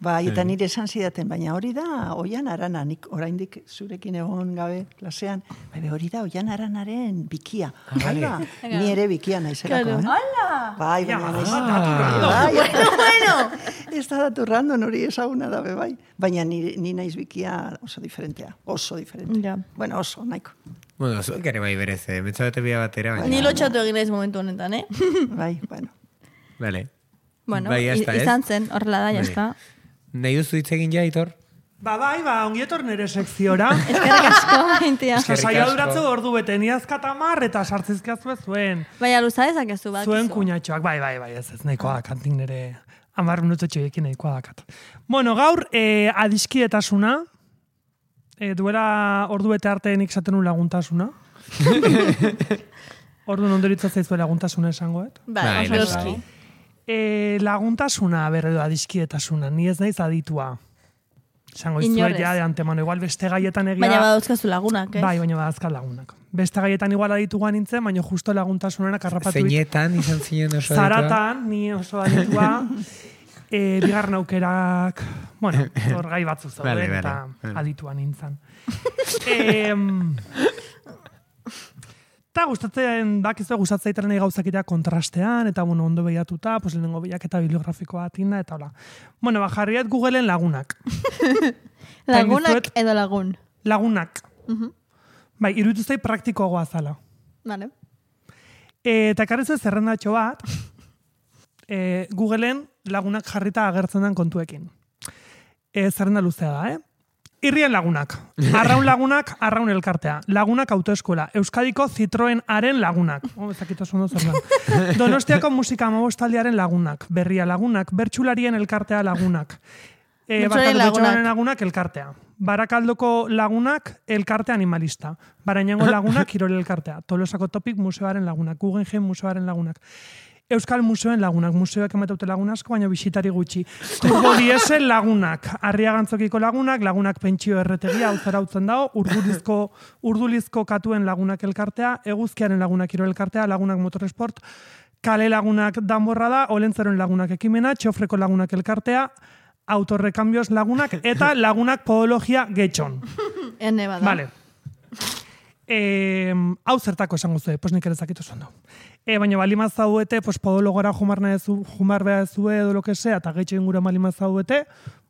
Bai, eta nire esan zidaten, baina hori da Oian Arana, nik oraindik zurekin egon gabe klasean, hori da Oian Aranaren bikia. Hala, ni ere bikia naizelako. Hala! Bai, Bueno! Ez da datu random hori ezaguna da, bai. Baina ni naiz bikia oso diferentea. Oso diferentea. Bueno, oso, nahiko. Bueno, zuek ere bai berez, betzabete bia batera. Ni lotxatu egin naiz momentu honetan, Bai, bueno. Vale. Bueno, izan zen, horrela da, jazta. Nahi duzu hitz egin ja, Aitor? Bai, ongietor nire sekziora. Eskerrik asko, maintia. Saia duratzu ordu bete, ni azkatamar eta sartzizkiazue zuen. Baina luza ezakezu bat. Zuen kuñatxoak, bai, ez nahikoa da, kantik nire 10 minutotxoekin nahikoa dakat. Bueno, gaur, adiskidetasuna, duela ordu bete arte nik zaten un laguntasuna. Ordu nondoritza zaizu laguntasuna esangoet. Bai, oso laguntasuna berredo adiskidetasuna, ni ez naiz aditua. Esango izuet ja de antemano, igual beste gaietan egia... Baina badauzkazu lagunak, Bai, baina badauzkaz lagunak. Beste gaietan igual adituan nintzen, baina justo laguntasunena karrapatu... Zeinetan izan zinen oso aditua? Zaratan, ni oso aditua. Bigarren aukerak... Bueno, hor gai batzu zauden, eta adituan nintzen. Eta gustatzen nahi gauzakitea kontrastean, eta bueno, ondo behiatuta, pues lehenengo behiaketa bibliografikoa atinda, eta hola. Bueno, jarriat Googleen lagunak. Lagunak edo lagun? Lagunak. Bai, iruditu zai praktikoagoa zala. Vale. Eta karrizu zerrendatxo bat, Googleen lagunak jarrita agertzen den kontuekin. Zerrenda luzea da, Irrien lagunak, arraun lagunak, arraun elkartea. Lagunak autoeskola, Euskadiko Citroenaren lagunak. Ezakito zondo zer da. Donostiako musika amabostaldiaren lagunak, Berria lagunak, Bertsularien elkartea lagunak. Bertsularien lagunak elkartea. Barakaldoko lagunak elkarte animalista. Barainango lagunak kirol elkartea. Tolosako Topik museoaren lagunak, Guggenheim museoaren lagunak. Euskal Museoen lagunak, museoak emateute lagun asko, baina bisitari gutxi. Turbo diesel lagunak, Arriagantzokiko lagunak pentsio erretegia, hau zarautzen dago, urdulizko katuen lagunak elkartea, eguzkiaren lagunak kirol elkartea, lagunak motoresport, kale lagunak danborra da, olentzeroen lagunak ekimena, txofreko lagunak elkartea, autorrekambioz lagunak, eta lagunak podologia getxon. Ene bada. Vale. Hau zertako esango zuen, pues nik ere zakitu zondo. Baina balimaz zauete, pues podologora jumar behar zue edo lo que sea, eta getxo ingura balimaz zauete,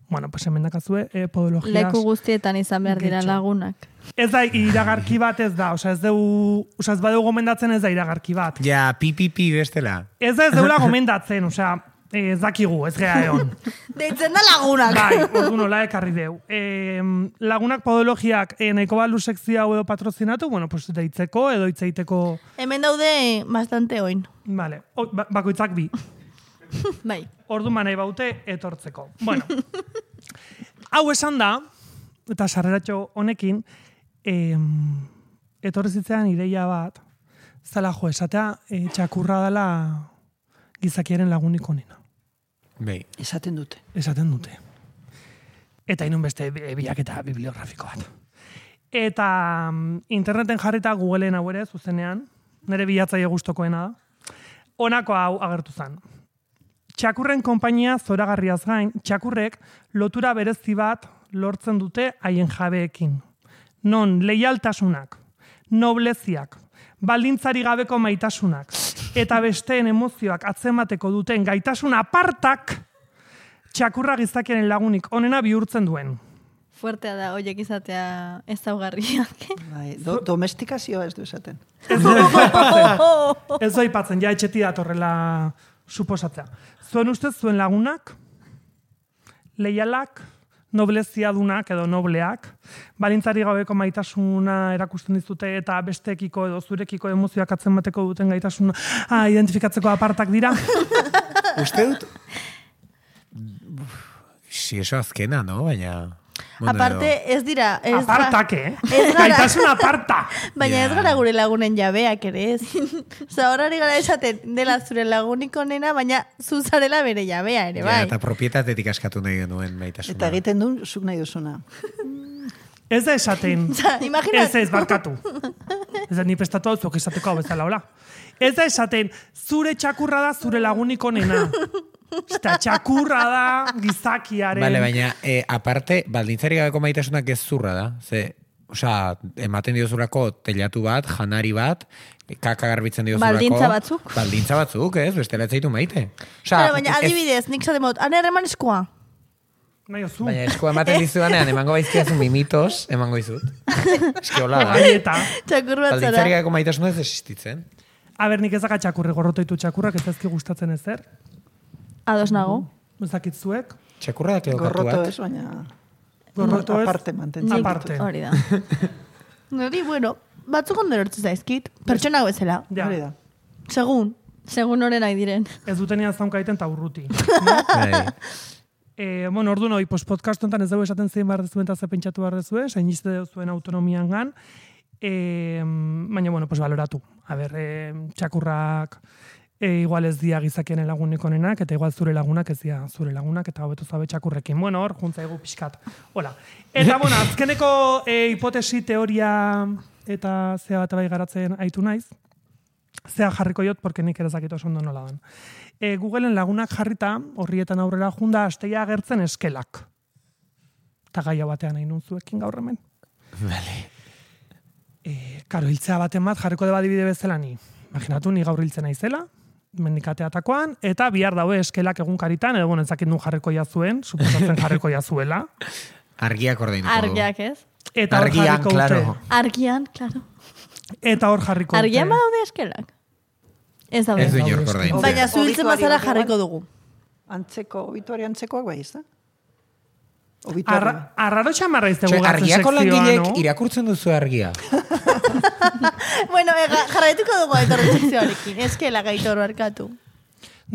bueno, pues hemen dakazue podologiaz. Leku guztietan izan behar dira getxo. lagunak. Ez da iragarki bat ez da, ez badeu gomendatzen ez da iragarki bat. Ja, pipipi bestela. Ez deula gomendatzen, ez dakigu, ez gea egon. Deitzen da lagunak. Bai, ordu nola ekarri deu. Lagunak podologiak nahiko balu sekzio hau edo patrozinatu, bueno, pues deitzeko edo itzeiteko... Hemen daude bastante oin. Vale, bakoitzak bi. Bai. Ordu manai baute etortzeko. Bueno, hau esan da, eta sarreratxo honekin, etorri zitzean ideia bat, zala jo, esatea txakurra dela gizakiaren lagunik onena. Bai. Esaten dute. Eta inun beste bilaketa bibliografiko bat. Eta interneten jarrita Googleen hau ere, zuzenean, nire bilatzaile gustokoena da, honako hau agertu zen. Txakurren konpainia zoragarriaz gain, txakurrek lotura berezi bat lortzen dute haien jabeekin. Non leialtasunak, nobleziak, baldintzari gabeko maitasunak, eta besteen emozioak atzemateko duten gaitasun apartak txakurra gizakiaren lagunik onena bihurtzen duen. Fuertea da, oiek izatea ezaugarriak. Bai, domestikazioa ez du esaten. Ez doi patzen, ja etxeti datorrela suposatzea. Zuen ustez, zuen lagunak, leialak, nobleziadunak edo nobleak, balintzari gabeko maitasuna erakusten dizute eta bestekiko edo zurekiko emozioak atzemateko duten gaitasuna identifikatzeko apartak dira. Uste dut... Si eso azkena, no? Baina... Aparte, ez dira... Apartak, Gaitasun aparta! Baina ez gara gure lagunen jabeak ere ez. Osa, horari gara esaten dela zure lagunik onena, baina zuzarela bere jabea ere, bai. Ja, eta propietatetik askatu nahi genuen maitasuna. Eta egiten du, zuk nahi duzuna. Ez da esaten. Imaginat. Ez barkatu. Ez da ni prestatu hau zuok esateko hau bezala, hola. Ez da esaten, zure txakurra da zure lagunik onena. Eta txakurra da gizakiaren... Vale, baina, aparte, baldintzari gabeko maitasunak ez zurra da. Ematen diozulako telatu bat, janari bat, kaka garbitzen diozulako... Baldintza batzuk? Baldintza batzuk, ez? Bestela etzaitu maite. Baina, adibidez, nik zatemot, aner eman eskoa. Baina eskoa ematen dizudanean, emango baizkiazun mimitos, emango izut. Eski hola da. Txakur bat zara. Baldintzari gabeko maitasuna ez existitzen. Nik ezaka txakurri gorrotoitu txakurrak, ez ezki gustatzen ezer. Ados nago. Ezakit zuek. Txakurra da keo katu Gorroto bat. ez, baina... Gorroto ez. Aparte mantentzen. Aparte. Hori da. Nori, bueno, batzuk ondo lortzen zaizkit. Pertsona bezala. Ja. Hori da. Segun horren nahi diren. Ez dutenean zaunkaiten eta urruti. Bai. Ordu noi, podcast honetan ez dugu esaten zein behar dezuen eta ze pentsatu behar dezue, zain izte zuen autonomian gan, baina, baloratu. Txakurrak igual ez dia gizakienen lagunik onenak, eta igual zure lagunak ez dia zure lagunak, eta hobeto zabe txakurrekin. Hor, juntzaigu pixkat. Hola. Eta, azkeneko hipotesi, teoria eta zea bat bai garatzen aitu naiz, zea jarriko jot, porque nik ere zakito oso ondo nola dan. Googleen lagunak jarrita, horrietan aurrera junda, asteia agertzen eskelak. Eta gaia batean nahi zuekin gaur hemen. Vale. Karo, hiltzea baten bat, jarriko deba adibide bezala ni. Imaginatu, ni gaur hiltzen naizela, mendikateatakoan, eta bihar daue eskelak egunkaritan, edo ez dakit nun jarriko jazuen, suposatzen jarriko jazuela. Argiak ordeinuko du. Argiak ez. Eta hor Argian, jarriko claro. dute. Argian, klaro. Eta hor jarriko dute. Argian badaude eskelak? Ez daude. Ez du inork ordaintzen. Baina zuhiltzen bazara Obituari jarriko dugu. Antzeko, obituari antzekoak bai, ez da? Arraro txamarra iztegu gatzen Argiako sekzioa, langilek no? irakurtzen duzu argia. Bueno, jarraituko dugu aitorren sekzioarekin. Eskela gaitor barkatu.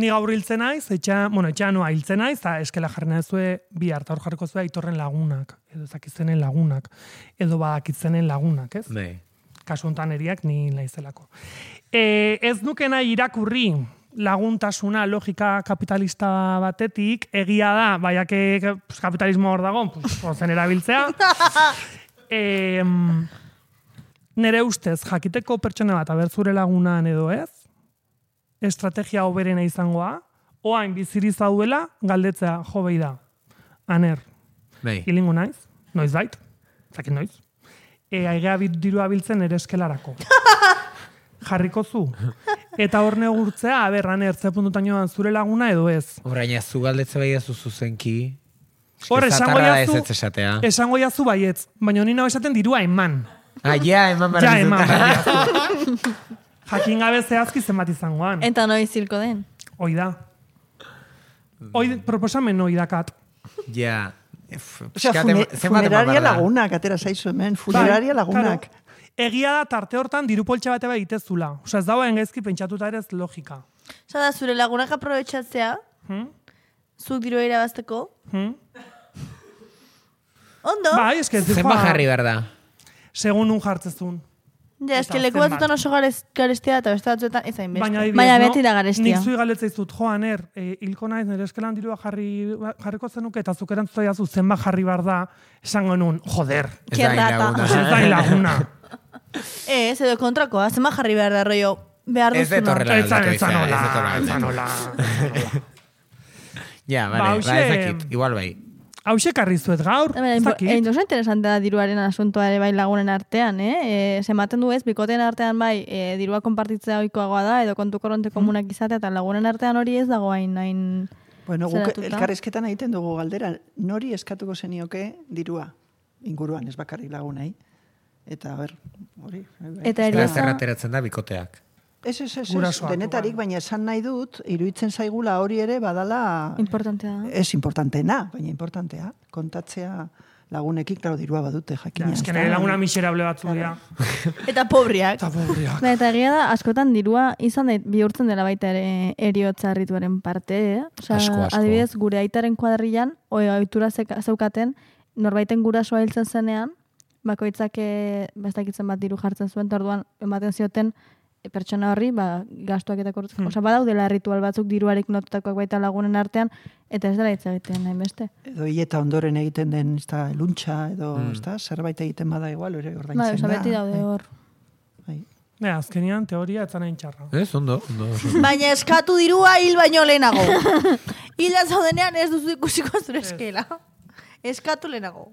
Ni gaur hiltzen naiz, etxea noa hiltzen naiz, eta eskela jarri nazue bi harta hor jarriko zuen aitorren lagunak, edo ezakitzenen lagunak, edo badakitzenen lagunak, ez? Bai. Kasu hontan eriak ni naizelako. Ez nuke nahi irakurri laguntasuna logika kapitalista batetik, egia da, baiake kapitalismo hor dago, zen erabiltzea. Nere ustez, jakiteko pertsona bat abertzure lagunan edo ez, estrategia hoberena izangoa, oain biziri zauela, galdetzea, jo behi da. Aner, hilingo naiz, noiz bait, zakin noiz. Aigea dirua biltzen ere eskelarako. Jarriko zu. Eta hor negurtzea, aner, ze puntutan joan zure laguna edo ez. Horaina, zu galdetze bai zu zuzenki. Hor, esango jazu baietz, baina honi nago esaten dirua eman. Eman bara. Ja, eman bara. Jakin gabe zehazki zenbat izangoan. Eta noiz zirko den. Hoi da. Proposamen hoi dakat. Ja. Funeraria lagunak, atera zaizu hemen. Funeraria lagunak. Egia da tarte hortan dirupoltxa bate bai itezula. Osa ez dago engezki pentsatuta ere ez logika. Osa da, zure lagunak aprobetxatzea, zuk diru irabazteko. Ondo? Bai, eske ez zenba jarri behar da. Segun un jartzezun. Ja, eske leku batzutan oso garestia eta beste batzuetan ezain beste. Baina beti da garestia. Nik zui galetzea Joaner, hilko naiz, nire eskelan dirua jarriko zenuke, eta zuk erantzuta jazu zenba jarri behar da, esango nun, joder. Ez da laguna. Ez, edo kontrakoa, zenba jarri behar da, rollo, behar duzuna. Ez detorrela aldatu izan. Ja, bale, ezakit, igual bai. Hauxe karrizuet gaur, ezakit. Oso interesantea da diruaren asuntoa ere bai lagunen artean, Zematen du ez, bikoteen artean bai, dirua konpartitzea oikoagoa da, edo kontu korronte komunak izatea, eta lagunen artean hori ez dago hain Bueno, guk elkarrizketan egiten dugu galdera, nori eskatuko zenioke dirua inguruan, ez bakarrik lagunei. Eta, hori. Eta zerrateratzen da bikoteak. Ez, denetarik, baina esan nahi dut, iruditzen zaigula hori ere badala... Importantea. Ez importanteena, baina importantea. Kontatzea lagunekin, klaro, dirua badute, jakina. Ez que nire laguna miserable batzu dira. Eta pobriak. Eta egia da, askotan dirua izan bihurtzen dela baita ere eriotza harrituaren parte, Asko. Adibidez, gure aitaren kuadrillan, ohitura zeukaten, norbaiten gurasoa hiltzen zenean, bakoitzak bestakitzen bat diru jartzen zuen, orduan ematen zioten pertsona horri, gastuak eta kortzen. Osa, badaudela ritual batzuk diruarik notutakoak baita lagunen artean, eta ez dela hitz egiten nahi beste. Edo hieta ondoren egiten den luntxa, edo zerbait egiten bada igual, ere ordaintzen da. Beti daude hor. Azkenian teoria etzan hain txarra. Ez, ondo. Baina eskatu dirua hil baino lehenago. Hila zaudenean ez duzu ikusiko zure eskela. Eskatu lehenago.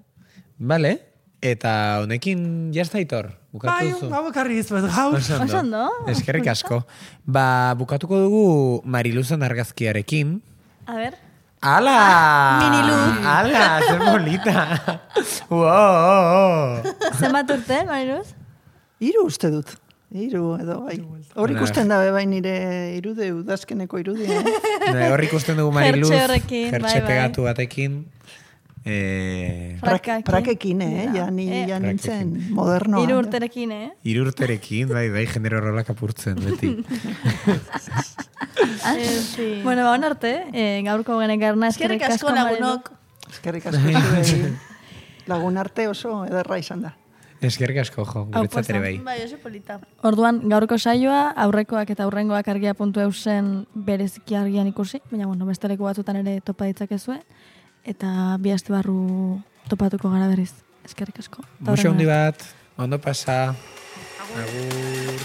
Vale. Eta honekin jazta Aitor, bukatu duzu. Bai, bakarri izuet gaur. Osondo. Eskerrik asko. Bukatuko dugu Mariluzan argazkiarekin. A ber. ¡Hala! Miniluz. ¡Hala! ¡Zer bolita! ¡Wow! Zenbat urte, Mariluz? 3 uste dut. 3 edo, bai. Hor ikusten da, bai, nire irude, udazkeneko irudea. Hor ikusten dugu Mariluz. Jertxe horrekin, Jertxe pegatu batekin. Prakekin, ja nintzen modernoa. 3 urterekin, 3 urterekin, bai, genero rolak apurtzen, beti. Bueno, ba, arte, gaurko genekarna eskerrik asko lagunok. Eskerrik asko zuei. Lagun arte oso ederra izan da. Eskerrik asko, jo, guretzat ere bai. Bai, oso polita. Orduan, gaurko saioa, aurrekoak eta aurrengoak argia.eusen bereziki argian ikusi, baina, bueno, beste leku batzutan ere topa ditzakezue. Eta bi aste barru topatuko gara berriz. Eskerrik asko. Muxo handi bat, ondo pasa. Agur.